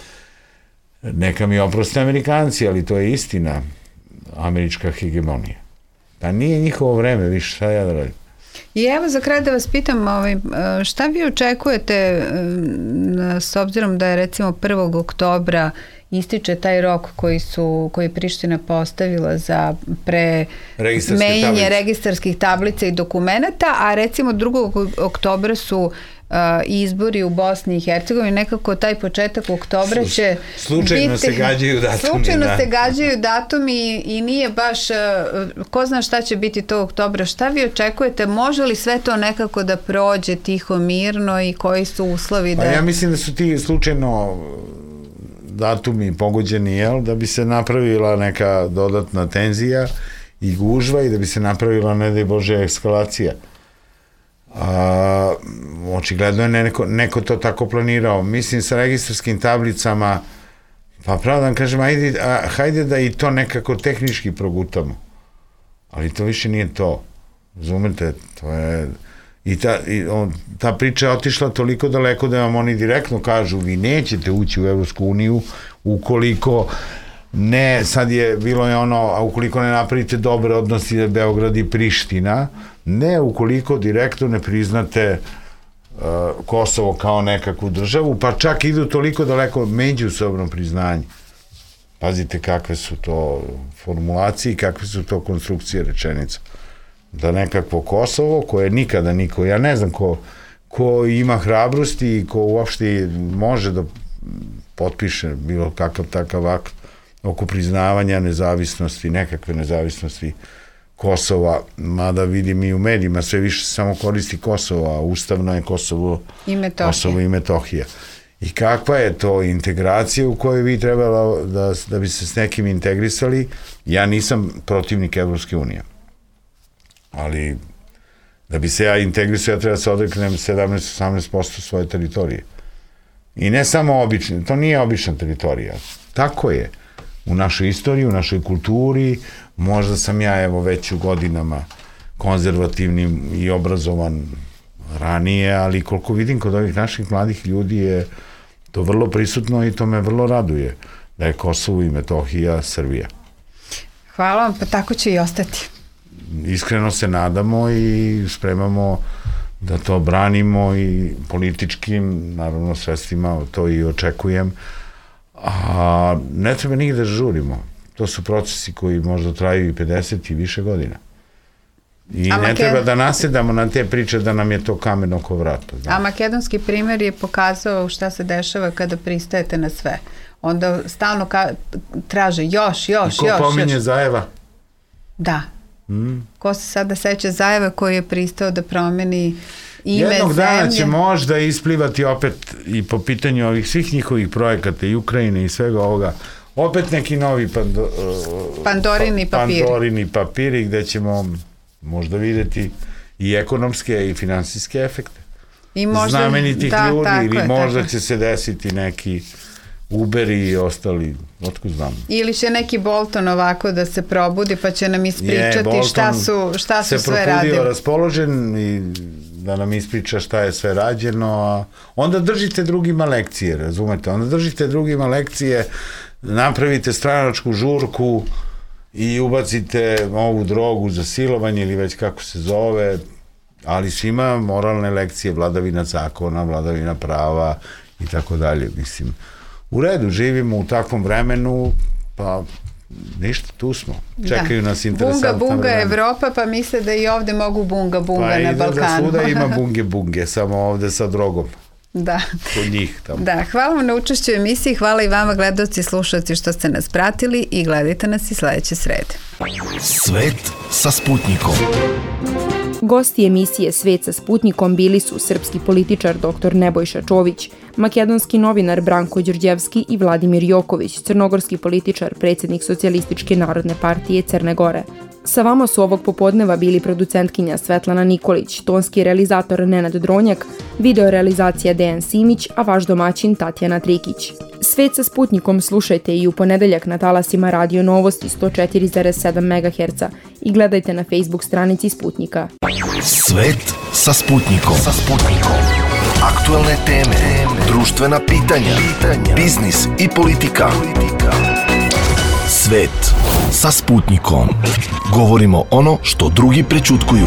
neka mi oproste Amerikanci, ali to je istina, američka hegemonija. Pa nije njihovo vreme, više šta ja da radim. I evo za kraj da vas pitam, šta vi očekujete s obzirom da je recimo prvog oktobra ističe taj rok koji su, koji je Priština postavila za pre menjanje registarskih tablica i dokumenata, a recimo drugog oktobra su uh, izbori u Bosni i Hercegovini, nekako taj početak oktobra će slučajno biti, se gađaju datumi. Slučajno da. se gađaju datumi i nije baš, uh, ko zna šta će biti tog oktobra. Šta vi očekujete? Može li sve to nekako da prođe tiho, mirno i koji su uslovi da... Pa ja mislim da su ti slučajno datumi pogođeni, jel, da bi se napravila neka dodatna tenzija i gužva i da bi se napravila, ne daj Bože, eskalacija. A, očigledno je neko, neko to tako planirao. Mislim, sa registarskim tablicama, pa pravo da vam kažem, ajde, a, hajde da i to nekako tehnički progutamo. Ali to više nije to. Razumete, to je... I ta, i on, ta priča je otišla toliko daleko da vam oni direktno kažu vi nećete ući u Evropsku uniju ukoliko ne, sad je bilo je ono, a ukoliko ne napravite dobre odnosi Beograd i Priština, ne ukoliko direktno ne priznate uh, Kosovo kao nekakvu državu, pa čak idu toliko daleko međusobno priznanje. Pazite kakve su to formulacije i kakve su to konstrukcije rečenica. Da nekakvo Kosovo, koje nikada niko, ja ne znam ko, ko ima hrabrosti i ko uopšte može da potpiše bilo kakav takav akt oko priznavanja nezavisnosti, nekakve nezavisnosti Kosova, mada vidim i u medijima sve više samo koristi Kosovo, a ustavno je Kosovo i Metohija. Kosovo i Metohija. I kakva je to integracija u kojoj vi trebala da, da bi se s nekim integrisali? Ja nisam protivnik Evropske unije. Ali da bi se ja integrisao, ja treba se odreknem sedamnaest do osamnaest posto svoje teritorije. I ne samo obične, to nije obična teritorija. Tako je. U našoj istoriji, u našoj kulturi, možda sam ja evo već u godinama konzervativnim i obrazovan ranije, ali koliko vidim kod ovih naših mladih ljudi je to vrlo prisutno i to me vrlo raduje da je Kosovo i Metohija Srbija. Hvala vam, pa tako će i ostati. Iskreno se nadamo i spremamo da to branimo i političkim, naravno, sredstvima, to i očekujem. A ne treba nigde da žurimo. To su procesi koji možda traju i pedeset i više godina. I a ne Maked... treba da nasedamo na te priče da nam je to kamen oko vrata. Da. A makedonski primjer je pokazao šta se dešava kada pristajete na sve. Onda stalno ka... traže još, još, I ko još. Ko pominje još. Zajeva? Da. Mm. Ko se sada seća Zajeva koji je pristao da promeni ime Jednog zemlje. dana će možda isplivati opet i po pitanju ovih svih njihovih projekata i Ukrajine i svega ovoga, opet neki novi pando, Pandorini papiri. Pandorini papiri gde ćemo možda videti i ekonomske i finansijske efekte. I možda, znamenitih da, ljudi tako ili je, možda tako. će se desiti neki Uberi i ostali, otkud znam. Ili će neki Bolton ovako da se probudi pa će nam ispričati je, šta su, šta su sve radili. Se probudio raspoložen i da nam ispriča šta je sve rađeno, a onda držite drugima lekcije, razumete? Onda držite drugima lekcije, napravite stranačku žurku i ubacite ovu drogu za silovanje ili već kako se zove, ali svima moralne lekcije, vladavina zakona, vladavina prava i tako dalje. Mislim, u redu, živimo u takvom vremenu, pa ništa, tu smo. Čekaju da. nas interesantna bunga, bunga vremena. Evropa, pa misle da i ovde mogu bunga, bunga pa na Balkanu. Pa i da svuda ima bunge, bunge, samo ovde sa drogom. Da. Kod njih tamo. Da, hvala vam na učešću u emisiji, hvala i vama gledalci i slušalci što ste nas pratili i gledajte nas i sledeće srede. Svet sa Sputnikom. Gosti emisije Svet sa Sputnikom bili su srpski političar dr Nebojša Čović, makedonski novinar Branko Đorđevski i Vladimir Joković, crnogorski političar, predsjednik Socijalističke narodne partije Crne Gore. Sa vama su ovog popodneva bili producentkinja Svetlana Nikolić, tonski realizator Nenad Dronjak, videorealizacija Dejan Simić, a vaš domaćin Tatjana Trikić. Svet sa Sputnikom slušajte i u ponedeljak na talasima Radio Novosti sto četiri zarez sedam megaherca i gledajte na Facebook stranici Sputnika. Svet sa Sputnikom. Sa Sputnikom. Aktuelne teme, društvena pitanja, biznis i politika. Svet sa Sputnikom. Govorimo ono što drugi prećutkuju.